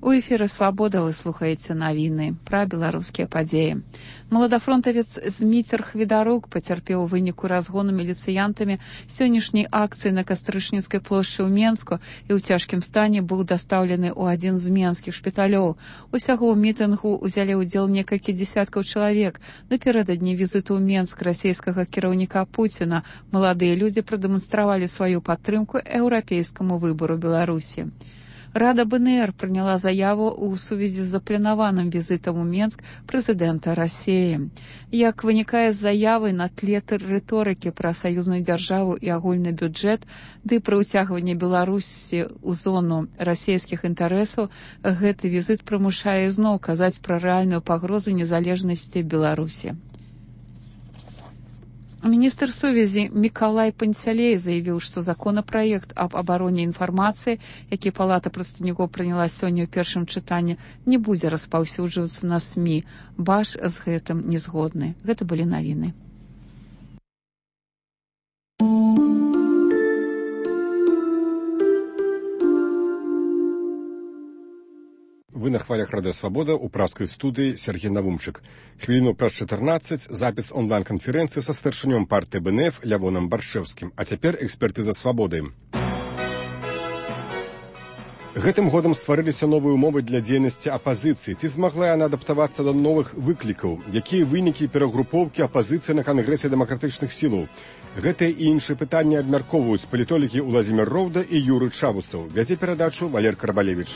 A: У эфіры «Свабода» вы слухаеце навіны пра беларускія падзеі. Маладафронтавец Зміцер Хвідарук пацярпеў у выніку разгону міліцыянтамі сённяшняй акцыі на Кастрычніцкай плошчы ў Менску і ў цяжкім стане быў дастаўлены ў адзін з менскіх шпіталёў. Усяго ў мітынгу ўзялі ўдзел некалькі дзесяткаў чалавек. Напярэдадні візіту ў Менск расійскага кіраўніка Пуціна маладыя людзі прадэманстравалі сваю падтрымку еўрапейскаму выбару Беларусі. Рада БНР прыняла заяву ў сувязі з запланаваным візітам у Менск прэзідэнта Расіі. Як вынікае з заявы, на тле рыторыкі пра саюзную дзяржаву і агульны бюджэт, ды пра ўцягванне Беларусі ў зону расійскіх інтарэсаў, гэты візіт прымушае зноў казаць пра рэальную пагрозу незалежнасці Беларусі. Міністр сувязі Мікалай Панцялей заявіў, што законапраект аб абароне інфармацыі, які Палата прадстаўнікоў прыняла сёння ў першым чытанні, не будзе распаўсюджвацца на СМІ. Баш з гэтым не згодны. Гэта былі навіны.
M: Вы на хвалях Радыё Свабода ў праскай студыі Сергей Навумчык. Хвіліну праз 14 запіс онлайн-канферэнцыі са старшынём партыі БНФ Лявоном Баршэўскім. А цяпер экспертыза «Свабоды». Гэтым годам стварыліся новыя ўмовы для дзейнасці апазіцыі. Ці змагла яна адаптавацца да новых выклікаў? Якія вынікі перагрупоўкі апазіцыі на Кангрэсе дэмакратычных сілаў? Гэтыя і іншыя пытанні абмяркоўваюць палітолагі Уладзімір Роўда і Юрый Чабусаў. Вядзе перадачу Валер Карбалевіч.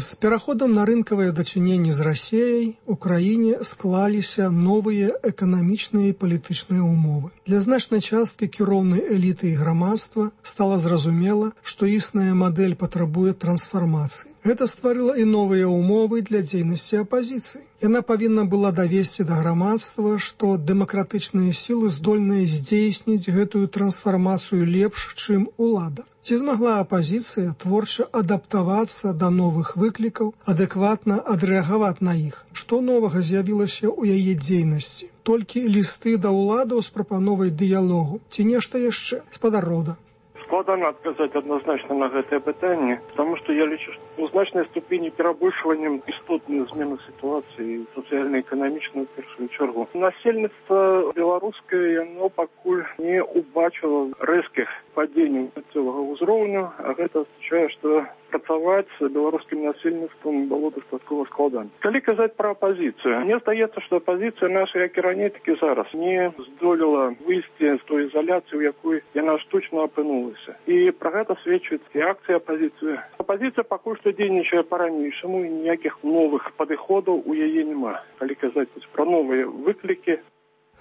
N: С пераходам на рынкавыя дачыненні з Расіяй у краіне склаліся новыя эканамічныя і палітычныя ўмовы. Для значнай часткі кіроўнай эліты і грамадства стала зразумела, што існая мадэль патрабуе трансфармацыі. Гэта стварыла і новыя ўмовы для дзейнасці апазіцыі. Яна павінна была давесці да грамадства, што дэмакратычныя сілы здольныя здзейсніць гэтую трансфармацыю лепш, чым улада. Ці змагла апазіцыя творча адаптавацца да новых выклікаў, адэкватна адрэагаваць на іх? Што новага з'явілася ў яе дзейнасці? Толькі лісты да ўладаў з прапановай дыялогу? Ці нешта яшчэ? Спадар Роўда.
O: Складана адказаць адназначна на гэтае пытанне, таму што я лічу, што ў значнай ступені перабольшваннем істотнай змены сітуацыі сацыяльна-эканамічнай у першую чаргу. Насельніцтва беларускае, яно пакуль не ўбачыла рэзкіх падзенняў цэлага ўзроўню, а гэта азначае, што працаваць з беларускім насельніцтвам было дастаткова складана. Калі казаць пра апазіцыю, мне здаецца, што апазіцыя наша, як і раней, так і зараз не здолела выйсці з той ізаляцыі, у якой яна штучна апынулася. І пра гэта сведчыць і акцыя апазіцыі. Апазіцыя пакуль што дзейнічае па-ранейшаму, і ніякіх новых падыходаў у яе няма. Калі казаць пра новыя выклікі.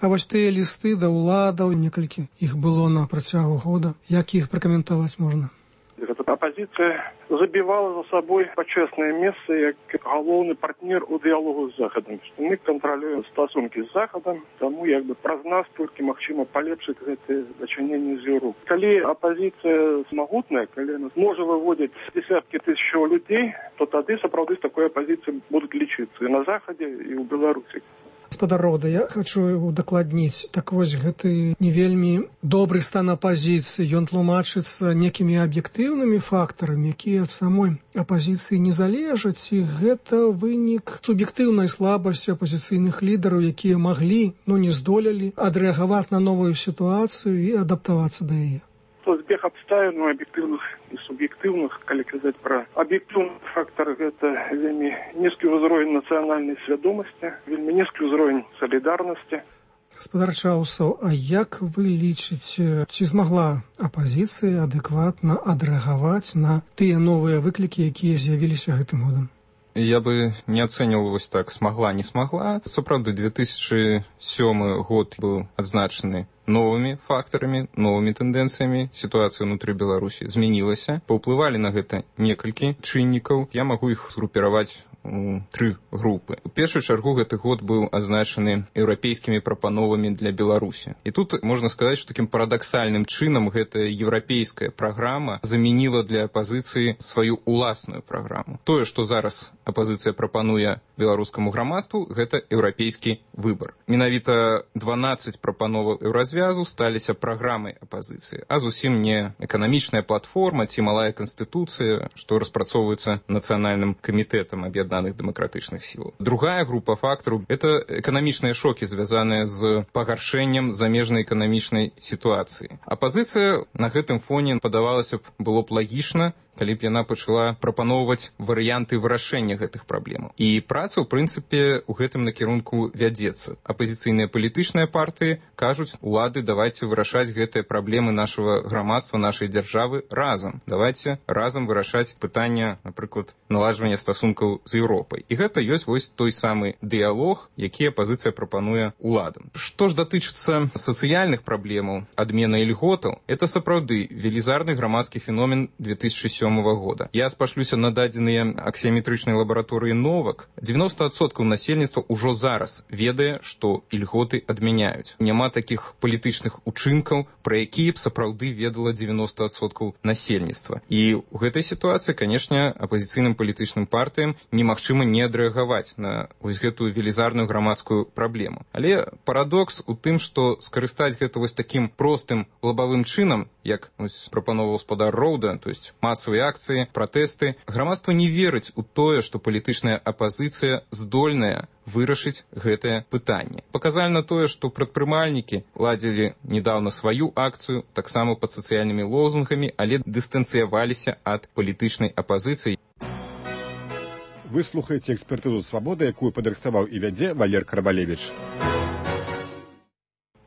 N: А вось тыя лісты да ўладаў, некалькі іх было на працягу года. Як іх пракаментаваць можна?
O: апозіцыя забівала за сабой пачэснае месца як галоўны партнер у дыялогу з Захадам. Мы кантралюем стасункі з Захадам, таму як бы праз нас толькі магчыма палепшыць гэтыя дачыненні з Еўропай. Калі апозіцыя магутная, калі она можа выводзіць десяткі тысячаў людзей, то тады сапраўды з такой апозіцыяй будуць лічыцца і на Захадзе, і ў Беларусі.
N: Гаспадар Роўда, я хочу удакладніць. Так вось, гэты не вельмі добры стан апазіцыі, ён тлумачыцца некімі аб'ектыўнымі фактарамі, якія ад самой апазіцыі не залежаць, і гэта вынік суб'ектыўнай слабасці апазіцыйных лідараў, якія маглі, но не здолелі адрэагаваць на новую сітуацыю і адаптавацца да яе.
O: Збег абставін аб'ектыўных і суб'ектыўных, калі казаць пра аб'ектыўны фактар, гэта вельмі нізкі ўзровень нацыянальнай свядомасці, вельмі нізкі ўзровень салідарнасці.
N: Гаспадар Чаусаў, а як вы лічыце, ці змагла апазіцыя адэкватна адрэагаваць на тыя новыя выклікі, якія з'явіліся гэтым годам?
P: Я бы не ацэньваў вось так, смагла, не смагла. Сапраўды, 2007 год быў адзначаны новымі фактарамі, новымі тэндэнцыямі. Сітуацыя ўнутры Беларусі змянілася. Паўплывалі на гэта некалькі чыннікаў. Я магу іх згрупіраваць у 3 групы. У першую чаргу гэты год быў адзначаны еўрапейскімі прапановамі для Беларусі. І тут можна сказаць, што такім парадаксальным чынам гэтая еўрапейская праграма замяніла для апазіцыі сваю уласную праграму. Тое, што зараз апазіцыя прапануе беларускаму грамадству, гэта еўрапейскі выбар. Менавіта 12 прапановаў еўразвязу сталіся праграмай апазіцыі, а зусім не эканамічная платформа ці малая канстытуцыя, што распрацоўваецца нацыянальным камітэтам аб'яднаных дэмакратычных сілаў. Другая група фактараў – это эканамічныя шокі, звязаныя з пагаршэннем замежнай эканамічнай сітуацыі. Апазіцыя на гэтым фоне, падавалася б, было б лагічна, калі б яна пачала прапаноўваць варыянты вырашэння гэтых праблемаў. І праца, ў прынцыпе, у гэтым накірунку вядзецца. Апазіцыйныя палітычныя партыі кажуць, улады, давайце вырашаць гэтыя праблемы нашага грамадства, нашай дзяржавы разам. Давайце разам вырашаць пытання, напрыклад, наладжвання стасункаў з Еўропай. І гэта ёсць вось той самы дыялог, які апазіцыя прапануе уладам. Што ж датычыцца сацыяльных праблемаў, адмены ільготаў, это сапраўды велізарны грамадскі феномен 2007 года. Я спашлюся на дадзеныя аксіяметрычнай лабараторыі Новак. 90% насельніцтва ўжо зараз ведае, што ільготы адмяняюць. Няма такіх палітычных учынкаў, пра якія б сапраўды ведала 90% насельніцтва. І ў гэтай сітуацыі, канешне, апазіцыйным палітычным партыям немагчыма не адрэагаваць на вось гэтую велізарную грамадскую праблему. Але парадокс у тым, што скарыстаць гэта вось такім простым лабавым чынам, як прапановаў гаспадар Роўда, то есть масавыя акцыі, пратэсты, грамадства не верыць у тое, што палітычная апазіцыя здольная вырашыць гэтае пытанне. Паказальна тое, што прадпрымальнікі ладзілі недаўна сваю акцыю, таксама пад сацыяльнымі лозунгамі, але дыстанцыяваліся ад палітычнай апазіцыі.
M: Вы слухаеце экспертызу «Свабода», якую падрыхтаваў і вядзе Валер Карбалевіч.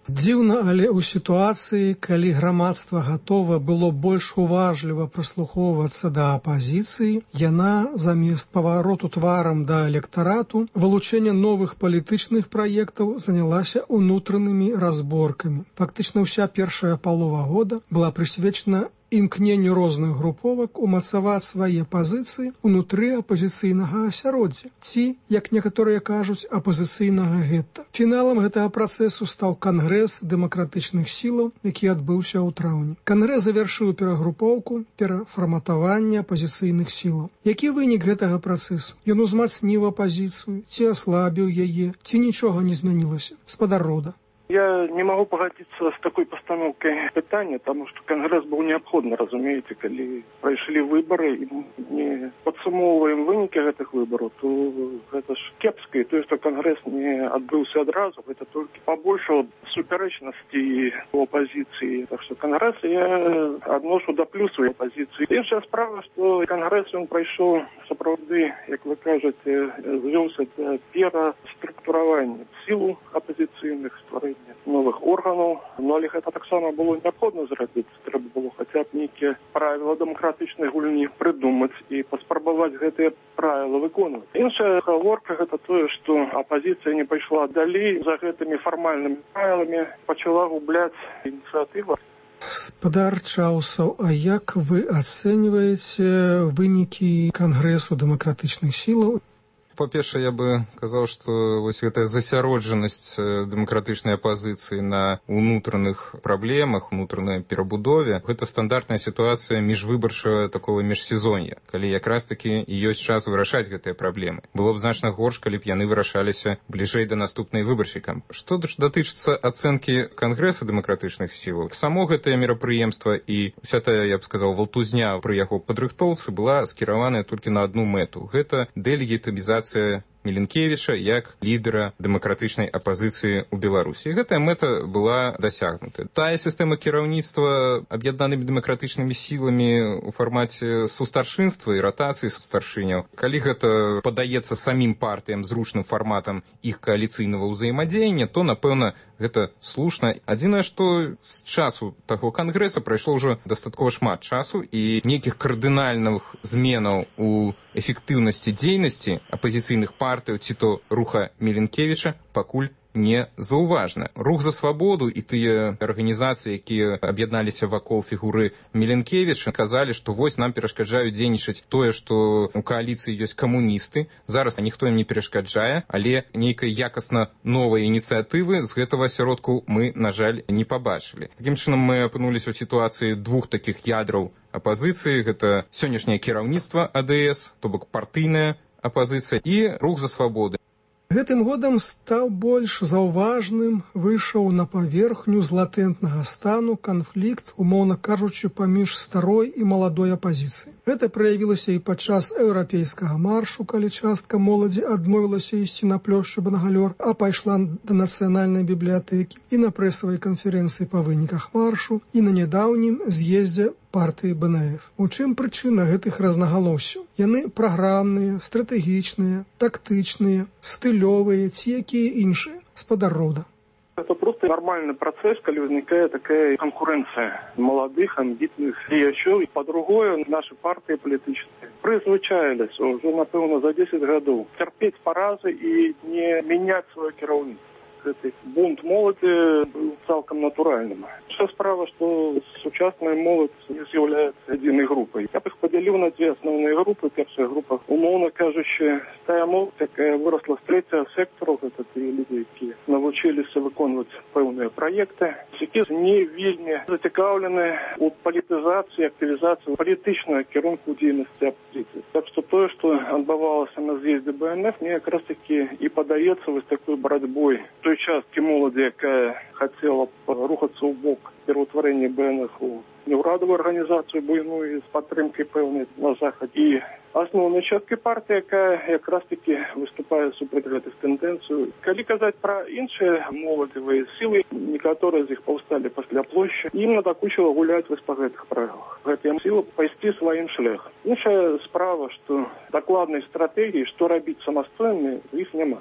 N: Дзіўна, але ў сітуацыі, калі грамадства гатова было больш уважліва прыслухоўвацца да апазіцыі, яна замест павароту тварам да электарату, вылучэння новых палітычных праектаў занялася ўнутранымі разборкамі. Фактычна ўся першая палова года была прысвечана імкненню розных груповак умацаваць свае пазіцыі ўнутры апазіцыйнага асяроддзя, ці, як некаторыя кажуць, апазіцыйнага гетта. Фіналам гэтага працэсу стаў кангрэс дэмакратычных сілаў, які адбыўся ў траўні. Кангрэс завяршыў перагрупоўку, перафарматаванне апазіцыйных сілаў. Які вынік гэтага працэсу? Ён узмацніў апазіцыю, ці аслабіў яе, ці нічога не змянілася? Гаспадар Роўда.
O: Я не могу погодиться с такой постановкой питания, потому что Конгресс был необходим, разумеете, когда прошли выборы, и не подсумовываем выники этих выборов, то это ж кепское, то, что Конгресс не отбылся одразу, это только побольше суперечности у оппозиции. Так что Конгресс я отношу до плюсу оппозиции. Іншая справа, что Конгресс, он прошел, справді, як ви кажете, звелся до переструктурирования сил оппозиционных, створения новых органов, но гэта таксама было необходимо зрабіць. Трэба было хотя б нейкія правила дэмакратычнай гульні придумаць і паспрабаваць гэтыя правила выконваць. Іншая гаворка гэта тое, што апозіцыя не пайшла далей за гэтымі фармальнымі правилами, пачала губляць ініцыятыву.
N: Спадар Чаусаў, а як вы ацэньваеце вынікі Кангрэсу дэмакратычных сілаў?
P: Па-першае, я бы казаў, што вось гэтая засяроджанасць дэмакратычнай апазіцыі на ўнутраных праблемах, унутранай перабудове, гэта стандартная сітуацыя міжвыбарчага такого міжсезоння, калі якраз такі ёсць час вырашаць гэтыя праблемы. Было б значна горш, калі б яны вырашаліся бліжэй да наступнай выбарчай кампаніі. Што датычыцца ацэнкі Кангрэса дэмакратычных сілаў, само гэтае мерапрыемства і вся тая, я б сказаў, валтузня пры яго падрыхтоўцы была скіраваная толькі на адну мэту. Гэта дэлегітымізацыя Міленкевіча як лідера дэмакратычнай апазіцыі ў Беларусі. Гэтая мэта была дасягнута. Тая сістэма кіраўніцтва аб'яднанымі дэмакратычнымі сіламі ў фармаце сустаршынства і ротацыі сустаршыняў, калі гэта падаецца самім партыям зручным фарматам іх кааліцыйнага ўзаемадзеяння, то, напэўна, гэта слушна. Адзінае, што з часу таго кангрэса прайшло ўжо дастаткова шмат часу, і нейкіх кардынальных зменаў у эфектыўнасці дзейнасці апазіцыйных партый ці то руха Міленкевіча пакуль не заўважна. Рух за свабоду і тыя арганізацыі, якія аб'ядналіся вакол фігуры Міленкевіча, казалі, што вось нам перашкаджаюць дзейнічаць тое, што у кааліцыі ёсць камуністы. Зараз ніхто ім не перашкаджае, але нейкай якасна новай ініцыятывы з гэтага асяродку мы, на жаль, не пабачылі. Такім чынам мы апынуліся ў сітуацыі двух такіх ядраў апазіцыі. Гэта сённяшняе кіраўніцтва АДС, то бок партыйная апазіцыя, і рух за свабоду.
N: Гэтым годам стаў больш заўважным, выйшаў на паверхню з латэнтнага стану канфлікт, умоўна кажучы, паміж старой і маладой апазіцыяй. Гэта праявілася і падчас еўрапейскага маршу, калі частка моладзі адмовілася ісці на плошчу Бангалёр, а пайшла да нацыянальнай бібліятэкі, і на прэсавай канферэнцыі па выніках маршу, і на нядаўнім з'ездзе партыі БНФ. У чым прычына гэтых рознагалоссяў? Яны праграмныя, стратэгічныя, тактычныя, стылёвыя ці якія іншыя? Спадар Роўда.
O: Это просто нормальный процесс, когда возникает такая конкуренция молодых, амбитных деячів. По-другому, наши партии политические призвичаились уже, напевно, за 10 годов терпеть поразы и не менять свое кіраўніцтва. Гэты бунт моладзі быў цалкам натуральным. Вся справа, што сучасная моладзь не з'яўляецца адзінай групай. Я б іх падзяліў на дзве асноўныя групы. Першая група, умоўна кажучы, тая моладзь, якая вырасла з трэцяга сектару, гэта тыя людзі, якія навучыліся выконваць пэўныя праекты, якія не вельмі зацікаўлены ў палітызацыі, актывізацыі палітычнага кірунку дзейнасці апазіцыі. Так што тое, што адбывалася на з'ездзе БНФ, мне якраз такі і падаецца вось такой барацьбой той часткі моладзі, якая хацела рухацца ў бок пераўтварэння БНФ у неўрадавую арганізацыю буйную з падтрымкай пэўнай на захад, і асноўнай часткай партыі, якая якраз такі выступае супраць гэтых тэндэнцый. Калі казаць пра іншыя моладзевыя сілы, некаторыя з іх паўсталі пасля плошчы, ім надакучыла гуляць вось па гэтых правілах. Гэтыя сілы пайсці сваім шляхам. Іншая справа, што дакладнай стратэгіі, што рабіць самастойна, іх няма.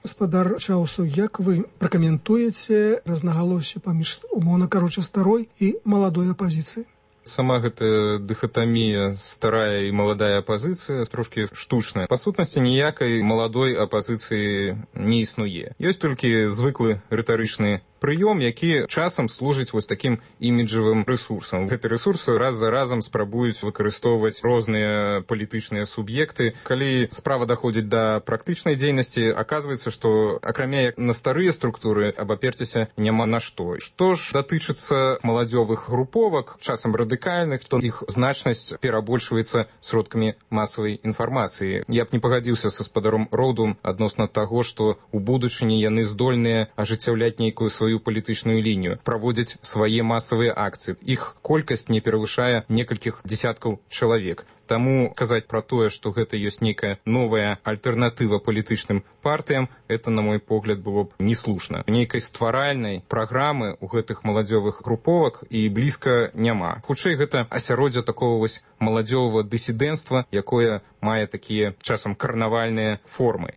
N: Спадар Чаусаў, як вы пракаментуеце рознагалоссі паміж, умоўна кажучы, старой і маладой апазіцыяй?
P: Сама гэтая дыхатамія старая і маладая апазіцыя трошкі штучная. Па сутнасці ніякай маладой апазіцыі не існуе. Ёсць толькі звыклы рытарычны прыём, які часам служыць вось такім іміджавым рэсурсам. Гэты рэсурс раз за разам спрабуюць выкарыстоўваць розныя палітычныя суб'екты. Калі справа даходзіць да практычнай дзейнасці, аказваецца, што акрамя як на старыя структуры абаперціся няма на што. Што ж датычыцца маладзёвых груповак, часам радыкальных, то іх значнасць перабольшваецца сродкамі масавай інфармацыі. Я б не пагадзіўся са спадаром Роўдом адносна таго, што ў будучыні яны здольныя ажыццяўляць нейкую сваю палітычную лінію, праводзяць свае масавыя акцыі. Іх колькасць не перавышае некалькіх дзесяткаў чалавек. Таму казаць пра тое, што гэта ёсць нейкая новая альтэрнатыва палітычным партыям, это, на мой погляд, было б неслушна. Нейкай стваральнай праграмы ў гэтых маладзёвых груповак і блізка няма. Хутчэй, гэта асяроддзе такого вось маладзёвага дысідэнцтва, якое мае такія часам карнавальныя формы.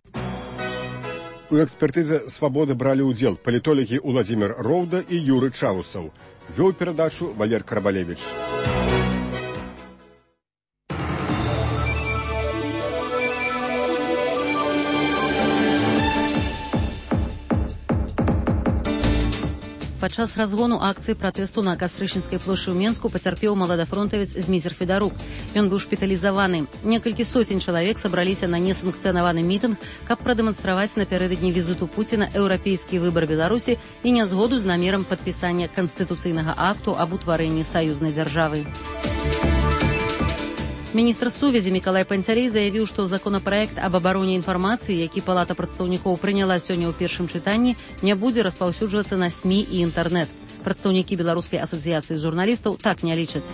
M: У экспертызе «Свабоды» бралі ўдзел палітолагі Уладзімір Роўда і Юры Чаусаў. Вёў перадачу Валер Карабалевіч.
B: Падчас разгону акцыі пратэсту на Кастрычніцкай плошчы ў Менску пацярпеў маладафронтавец Зміцер Федарук. Ён быў шпіталізаваны. Некалькі соцень чалавек сабраліся на несанкцыянаваны мітынг, каб прадэманстраваць напярэдадні візіту Пуціна еўрапейскі выбар Беларусі і нязгоду з намерам падпісання канстытуцыйнага акту аб утварэнні саюзнай дзяржавы. Міністр сувязі Мікалай Панцярей заявіў, што законапраект аб абароне інфармацыі, які Палата прадстаўнікоў прыняла сёння ў першым чытанні, не будзе распаўсюджвацца на СМІ і інтэрнэт. Прадстаўнікі Беларускай асацыяцыі журналістаў так не лічаць.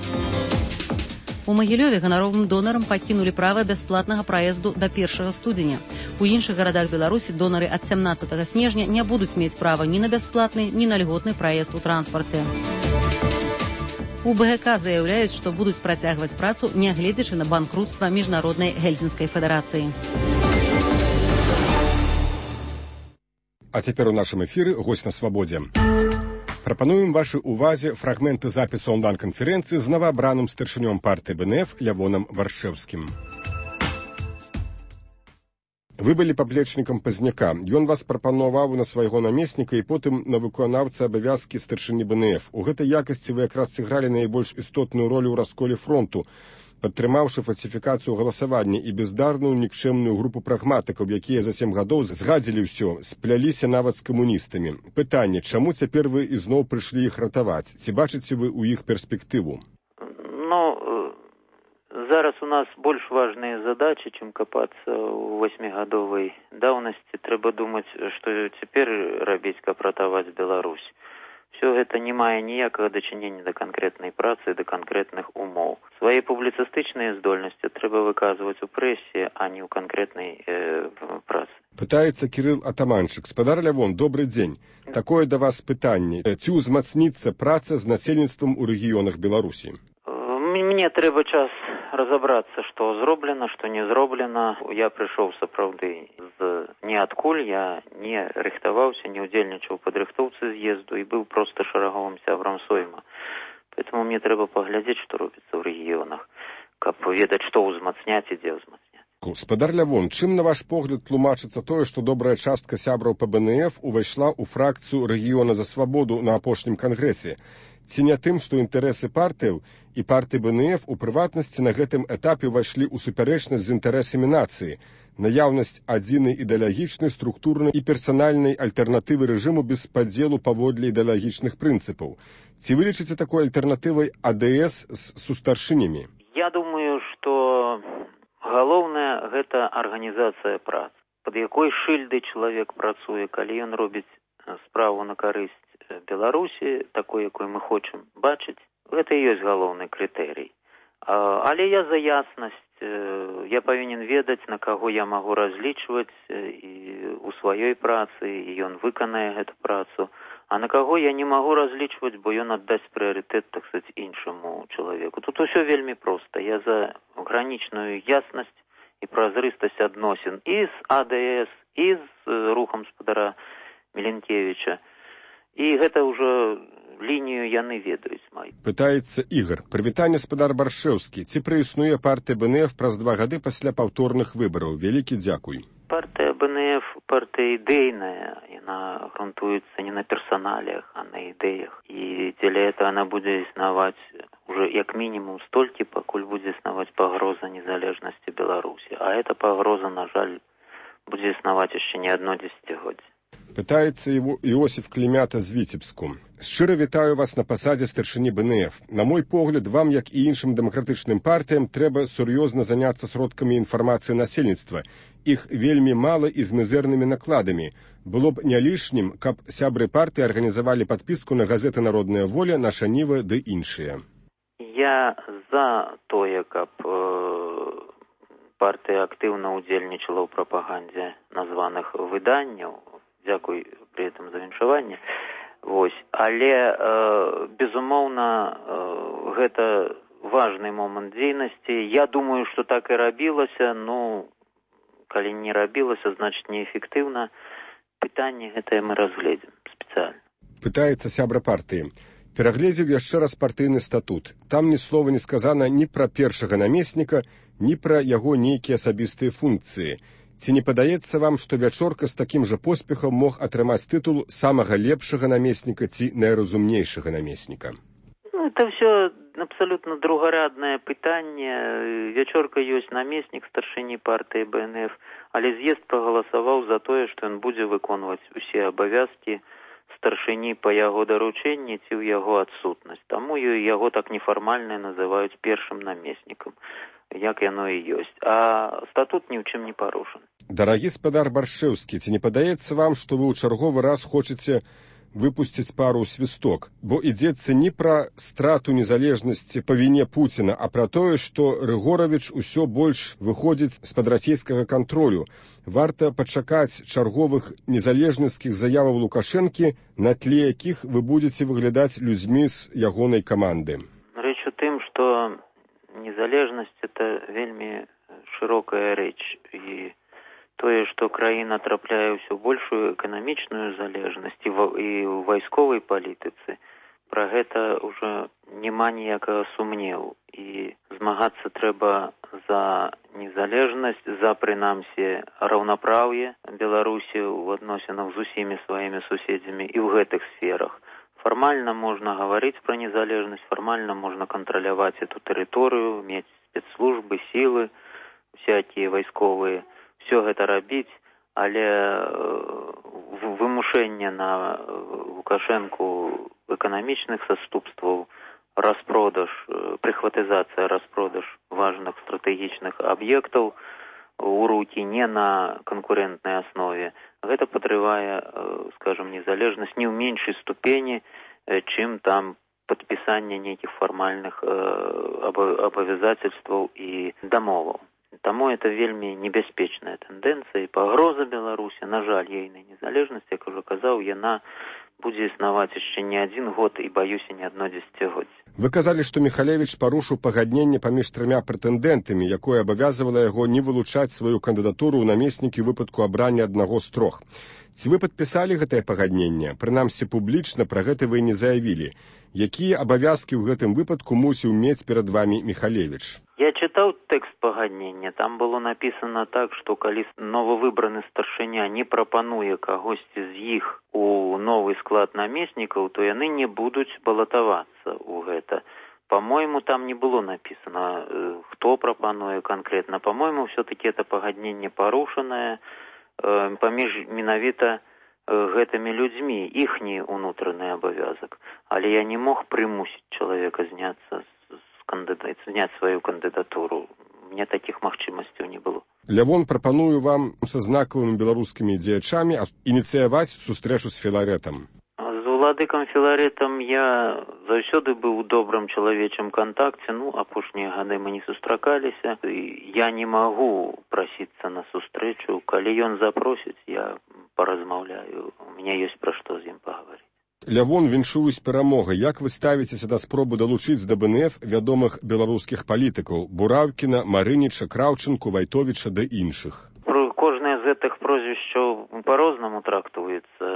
B: У Магілёве ганаровым донарам пакінулі права бясплатнага праезду да 1 студзеня. У іншых гарадах Беларусі донары ад 17 снежня не будуць мець права ні на бясплатны, ні на льготны праезд у транспарце. У БГК заяўляюць, што будуць працягваць працу, нягледзячы на банкрутства міжнароднай гельсінскай федэрацыі.
M: А цяпер у нашым эфіры госць на свабодзе. Прапануем вашай увазе фрагменты запісу онлайн-канферэнцыі з новаабраным старшынём партыі БНФ Лявонам Варшэўскім. Вы былі паплечнікам Пазняка. Ён вас прапанаваў на свайго намесніка і потым на выканаўца абавязкі старшыні БНФ. У гэтай якасці вы якраз сыгралі найбольш істотную ролю ў расколе фронту, падтрымаўшы фальсіфікацыю галасавання і бездарную нікчэмную групу прагматыкаў, якія за 7 гадоў згадзілі ўсё, спляліся нават з камуністамі. Пытанне, чаму цяпер вы ізноў прыйшлі іх ратаваць? Ці бачыце вы ў іх перспектыву?
Q: Зараз у нас больш важныя задачы, чым капацца ў 8-гадовай даўнасці. Трэба думаць, што цяпер рабіць, каб ратаваць Беларусь. Все гэта не мае ніякага дачынення да канкрэтнай працы, да канкрэтных умоў. Свае публіцыстычныя здольнасці трэба выказваць у прэсе, а не ў канкрэтнай працы.
M: Пытаецца Кірыл Атаманчык. Спадар Лявон, добры дзень. Такое да вас пытанне. Ці ўзмацніцца праца з насельніцтвам у рэгіёнах Беларусі?
Q: Мне трэба час разабрацца, што зроблена, што не зроблена. Я прыйшоў сапраўды з ніадкуль, я не рыхтаваўся, не ўдзельнічаў у падрыхтоўцы з'езду і быў проста шараговым сябрам сойма. Поэтому мне трэба паглядзець, што робіцца ў рэгіёнах, каб ведаць, што ўзмацняць і дзе ўзмацняць.
M: Спадар Лявон, чым, на ваш погляд, тлумачыцца тое, што добрая частка сябраў па БНФ увайшла ў фракцыю рэгіёна за свабоду на апошнім кангрэсе? Ці не тым, што інтарэсы партыяў і партыі БНФ у прыватнасці на гэтым этапе ўвайшлі ў супярэчнасць з інтарэсамі нацыі, наяўнасць адзінай ідэалагічнай, структурнай і персанальнай альтэрнатывы рэжыму без падзелу паводле ідэалагічных прынцыпаў. Ці вы лічыце такой альтэрнатывай АДС з сустаршынямі?
Q: Я думаю, што галоўнае гэта арганізацыя працы. Пад якой шыльдай чалавек працуе, калі ён робіць справу на карысць Беларусі, такой, якой мы хочам бачыць, гэта і ёсць галоўны крытэрый. Але я за яснасць, я павінен ведаць, на каго я магу разлічваць і у сваёй працы, і ён выканае гэту працу, а на каго я не магу разлічваць, бо ён аддасць прыярытэт, так сказаць, іншаму чалавеку. Тут усё вельмі проста. Я за гранічную яснасць і празрыстасць адносін і з АДС, і з рухам спадара Міленкевіча. І гэта ўжо лінію яны ведаюць маю.
M: Пытаецца Ігар. Прывітанне, спадар Баршэўскі. Ці праіснуе партыя БНФ праз 2 гады пасля паўторных выбараў? Вялікі дзякуй.
Q: Партыя БНФ, партыя ідэйная. Яна грунтуецца не на персоналіях, а на ідэях. І дзеля этого она будзе існаваць уже як мінімум столькі, пакуль будзе існаваць пагроза незалежнасці Беларусі. А эта пагроза, на жаль, будзе існаваць яшчэ не адно дзесяцігоддзе.
M: Пытаецца Іосиф Клімята з Віцебску. Шчыра вітаю вас на пасадзе старшыні БНФ. На мой погляд, вам, як і іншым дэмакратычным партыям, трэба сур'ёзна заняцца сродкамі інфармацыі насельніцтва. Іх вельмі мала і з мізэрнымі накладамі. Было б не лішнім, каб сябры партыі арганізавалі падпіску на газеты «Народная воля», «Наша Ніва» ды іншыя.
Q: Я за тое, каб партыя актыўна ўдзельнічала ў прапагандзе названых выданняў. Дзякуй пры гэтым за віншаванне. Але, безумоўна, гэта важны момант дзейнасці. Я думаю, што так і рабілася, калі не рабілася, значыць неэфектыўна. Пытанне гэтае мы разгледзім спецыяльна.
M: Пытаецца сябра партыі. Перагледзеў яшчэ раз партыйны статут. Там ні слова не сказана ні пра першага намесніка, ні пра яго нейкія асабістыя функцыі. Ці не падаецца вам, што Вячорка з такім жа поспехам мог атрымаць тытул самага лепшага намесніка ці найразумнейшага намесніка?
Q: Это все абсолютно другорядное пытанне. Вячорка ёсць намеснік старшыні партыі БНФ, але з'езд прагаласаваў за тое, што ён будзе выконваць усе абавязкі старшыні па яго даручэнні ці ў яго адсутнасць. Таму яго так нефармальна называюць першым намеснікам, як яно і ёсць. А статут ні ў чым не парушаны.
M: Дарагі спадар Баршэўскі, ці не падаецца вам, што вы ў чарговы раз хочаце выпусціць пару свісток, бо ідзецца не пра страту незалежнасці па віне Пуціна, а пра тое, што Рыгоравіч усё больш выходзіць з-пад расійскага кантролю. Варта пачакаць чарговых незалежніцкіх заяваў Лукашэнкі, на тле якіх вы будзеце выглядаць людзьмі з ягонай каманды.
Q: Рэч у тым, што незалежнасць – это вельмі шырокая рэч, і тое, што краіна трапляе ўсё большую эканамічную залежнасць і ў вайсковай палітыцы, пра гэта ўжо няма ніякага сумневу. І змагацца трэба за незалежнасць, за, прынамсі, раўнапраўе Беларусі ў адносінах з усімі сваімі суседзямі і ў гэтых сферах. Фармальна можна гаварыць пра незалежнасць, фармальна можна кантраляваць эту тэрыторыю, мець спецслужбы, сілы, всякія вайсковыя, все гэта рабіць, але вымушэнне на Лукашэнку эканамічных саступстваў, распродаж, прыхватызацыя, распродаж важных стратэгічных аб'ектаў у рукі не на канкурентнай аснове, гэта падрывае, скажем, незалежнасць не ў меншай ступені, чым там падпісанне нейкіх фармальных абавязацельстваў і дамоваў. Таму это вельмі небяспечная тэндэнцыя і пагроза Беларусі, на жаль, ейнай незалежнасці, як ужо казаў, яна будзе існаваць яшчэ не адзін год і, баюся, не адно дзесяцігоддзе.
M: Вы казалі, што Міхалевіч парушыў пагадненне паміж трыма прэтэндэнтамі, якое абавязвала яго не вылучаць сваю кандыдатуру ў намеснікі ў выпадку абрання аднаго з трох. Ці вы падпісалі гэтае пагадненне? Прынамсі, публічна пра гэта вы не заявілі. Якія абавязкі ў гэтым выпадку мусіў мець перад вамі Міхалевіч?
Q: Я чытаў тэкст пагаднення. Там было напісана так, што калі новавыбраны старшыня не прапануе кагосьці з іх у новы склад намеснікаў, то яны не будуць балатавацца ў гэта. По-моему, там не было напісана, хто прапануе канкрэтна. По-моему, все-таки это пагадненне парушанае паміж менавіта гэтымі людзьмі, іхні ўнутраны абавязак. Але я не мог прымусіць чалавека зняць сваю кандыдатуру. Мне такіх магчымасцяў не было.
M: Лявон, прапаную вам са знакавымі беларускімі дзеячамі ініцыяваць сустрэчу з Філарэтам.
Q: З уладыкам Філарэтам я заўсёды быў у добрым чалавечым кантакце, апошнія гады мы не сустракаліся. Я не магу прасіцца на сустрэчу. Калі ён запросіць, я паразмаўляю. У мяне ёсць пра што з ім пагаварыць.
M: Лявон, віншуюсь перамогай. Як вы ставіцеся да спробы далучыць да БНФ вядомых беларускіх палітыкаў Бураўкіна, Марыніча, Краўчынку, Вайтовіча ды іншых?
Q: Кожнае з гэтых прозвішчаў па-рознаму трактуецца.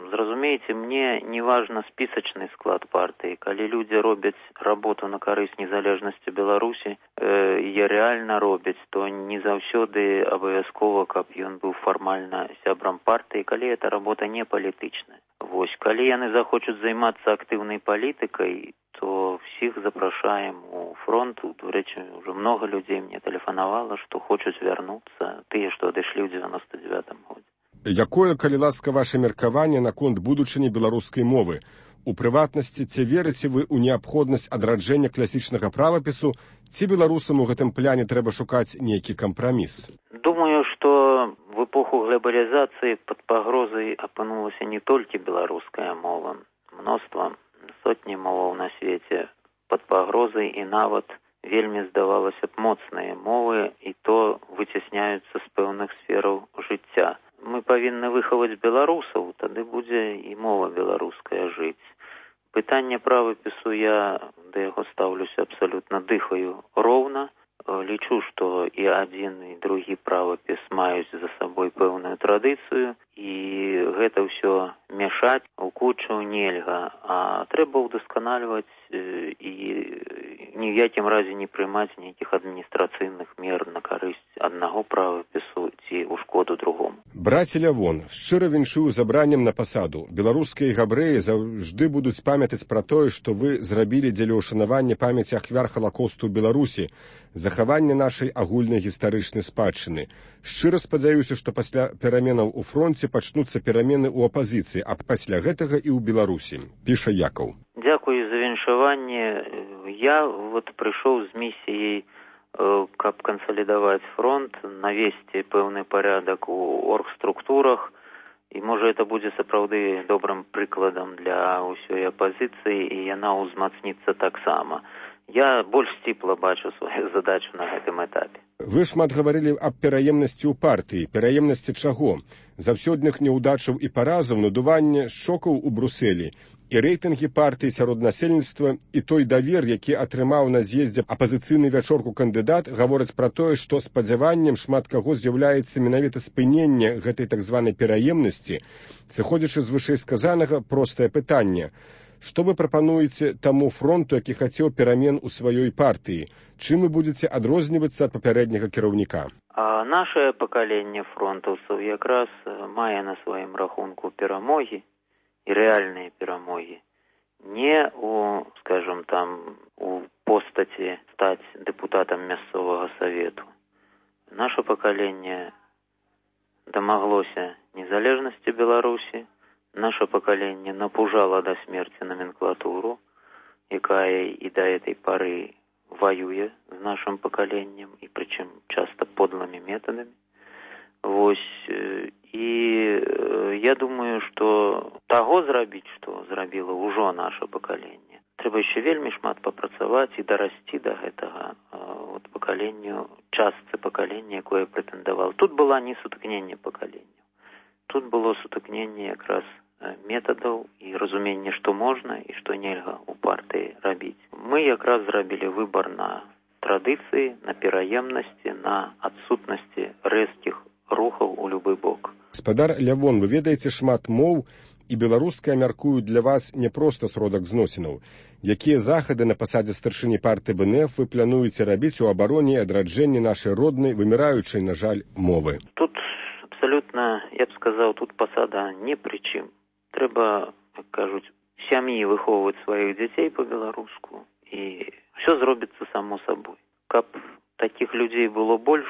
Q: Зразумееце, мне не важна спісачны склад партыі. Калі людзі робяць работу на карысць незалежнасці Беларусі, і рэальна робяць, то не заўсёды абавязкова, каб ён быў фармальна сябрам партыі, калі эта работа не палітычная. Вось, калі яны захочуць займацца актыўнай палітыкай, то всіх запрашаем у фронт. До рэчы, ўжо много людзей мне тэлефанавала, што хочуць вярнуцца, тыя, што адышлі ў 99-м годзе.
M: Якое, калі ласка, ваше меркаванне наконт будучыні беларускай мовы? У прыватнасці, ці верыце вы ў неабходнасць адраджэння класічнага правапісу, ці беларусам у гэтым пляне трэба шукаць нейкі кампраміс?
Q: Думаю, што в эпоху глобалізацыі пад пагрозай апынулася не толькі беларуская мова. Мноства, сотні моваў на свеце пад пагрозай, і нават вельмі, здавалася б, моцныя мовы, і то выцясняюцца з пэўных сфераў жыцця. Мы павінны выхаваць беларусаў, тады будзе і мова беларуская жыць. Пытанне правапісу, я да яго стаўлюся абсалютна, дыхаю роўна. Лічу, што і адзін, і другі правапіс маюць за сабой пэўную традыцыю, і гэта ўсё мяшаць у кучу нельга, а трэба ўдасканальваць і ні ў якім разе не прымаць нейкіх адміністрацыйных мер на карысць аднаго правапісу ці ў шкоду другому.
M: Браце Лявон, шчыра віншую забраннем на пасаду. Беларускія габрэі заўжды будуць памятаць пра тое, што вы зрабілі дзеля ўшанавання памяці ахвяр Халакосту ў Беларусі, захавання нашай агульнай гістарычнай спадчыны. Шчыра спадзяюся, што пасля пераменаў у фронце пачнуцца перамены ў апазіцыі, а пасля гэтага і ў Беларусі, піша Якаў.
Q: Дзякую за віншаванне. Я прыйшоў з місіяй, каб кансалідаваць фронт, навесці пэўны парядак у оргструктурах, і можа это будзе сапраўды добрым прыкладам для ўсёй апазіцыі, і яна ўзмацніцца таксама. Я больш сціпла бачу сваю задачу на гэтым этапе.
M: Вы шмат гаварылі аб пераемнасці ў партыі. Пераемнасці чаго? Заўсёдных няўдачаў і паразаў, надуванне шокаў у Брусэлі, і рэйтынгі партыі сярод насельніцтва, і той давер, які атрымаў на з'ездзе апазіцыйны вячорку кандыдат, гавораць пра тое, што спадзяваннем шмат каго з'яўляецца менавіта спыненне гэтай так званай пераемнасці. Сыходзячы з вышэйсказанага, простае пытанне. Што вы прапануеце таму фронту, які хацеў перамен у сваёй партыі? Чым вы будзеце адрознівацца ад папярэдняга кіраўніка?
Q: Нашае пакаленне фронтаўцаў якраз мае на сваім рахунку перамогі і рэальныя перамогі. Не у, скажем, у постаці стаць дэпутатам мясцовага савету. Наша пакаленне дамаглося незалежнасці Беларусі. Наше пакаленне напужала да смерці номенклатуру, якая і да этой пары воюе з нашим пакаленнем, і прычым часто подлымі метадамі. І я думаю, што таго зрабіць, што зрабіла ўжо наше пакаленне, трэба яшчэ вельмі шмат папрацаваць і дарасці да гэтага пакаленню, частцы пакалення, якое прэтэндавала. Тут была не сутыкненне пакаленняў. Тут было сутыкненне якраз метадаў і разуменне, што можна і што нельга ў партыі рабіць. Мы якраз зрабілі выбар на традыцыі, на пераемнасці, на адсутнасці рэзкіх рухаў у любы бок.
M: Гаспадар Лявон, вы ведаеце шмат моў, і беларуская, мяркую, для вас не проста сродак зносінаў. Якія захады на пасадзе старшыні партыі БНФ вы плануеце рабіць у абароне і адраджэнні нашай роднай, выміраючай, на жаль, мовы?
Q: Тут абсолютно, я б сказаў, тут пасада не пры чым. Трэба, як кажуць, сям'і выхоўваць сваіх дзяцей па-беларуску, і ўсё зробіцца само сабой. Каб такіх людзей было больш,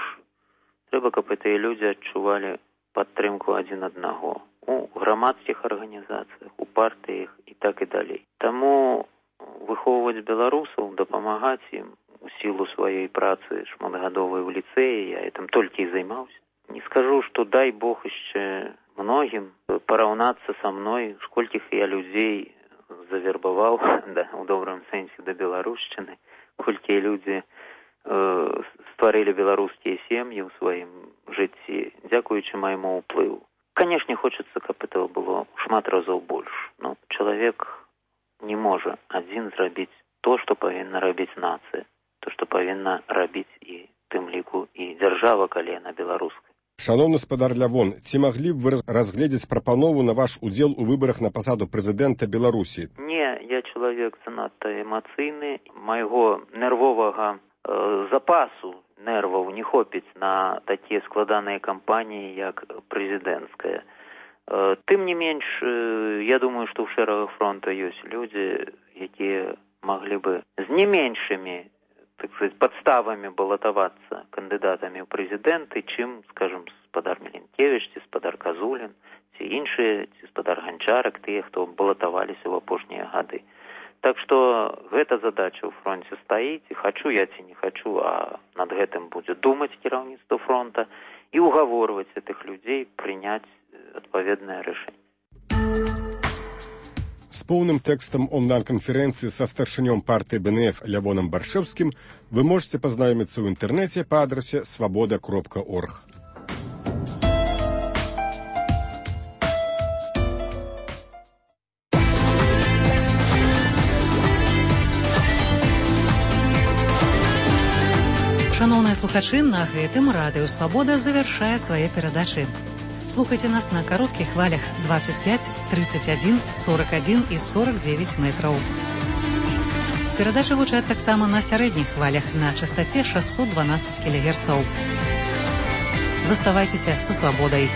Q: трэба, каб гэтыя людзі адчувалі падтрымку адзін аднаго у грамадскіх арганізацыях, у партыях і так і далей. Таму выхоўваць беларусаў, дапамагаць ім у сілу сваёй працы шматгадовай у ліцэі, я гэтым толькі і займаўся. Не скажу, што дай Бог яшчэ многім параўнацца са мной, сколькіх я людзей завербаваў, у добрым сэнсе, да беларушчыны, колькі людзі стварылі беларускія сем'і ў сваім жыцці, дзякуючы майму ўплыву. Канешне, хочацца, каб этого было шмат разоў больш. Но чалавек не можа адзін зрабіць то, што павінна рабіць нацыя, то, што павінна рабіць і тым ліку і дзяржава, калі яна беларуская.
M: Шановны гаспадар Лявон, ці маглі б вы разгледзець прапанову на ваш удзел у выбарах на пасаду прэзідэнта Беларусі?
Q: Не, я чалавек занадта эмацыйны. Майго нервовага запасу нерваў не хопіць на такія складаныя кампаніі, як прэзідэнцкая. Тым не менш, я думаю, што ў шэрагах фронта ёсць людзі, якія маглі бы з не меншымі, так сказать, подставами балатавацца кандыдатамі ў прэзідэнты, чым, скажем, гаспадар Меленкевіч, ці гаспадар Казулін, ці іншыя, ці гаспадар Ганчарак, тыя, хто балатаваліся ў апошнія гады. Так што гэта задача ў фронце стаіць, і хачу я ці не хачу, а над гэтым будзе думаць кіраўніцтва фронта і угаворваць гэтых людзей прыняць адпаведнае рашэнне.
M: З поўным тэкстам онлайн-канферэнцыі са старшынём партыі БНФ Лявоном Баршэўскім вы можете пазнаёміцца ў інтэрнэце па адрасе свабода.орг.
B: Шановныя слухачы, на гэтым Радыё Свабода завяршае свае перадачы. Слухайте нас на коротких хвалях 25, 31, 41 и 49 метров. Передачи гучаць таксама на сярэдніх хвалях на частоте 612 кГц. Заставайцеся са свабодай.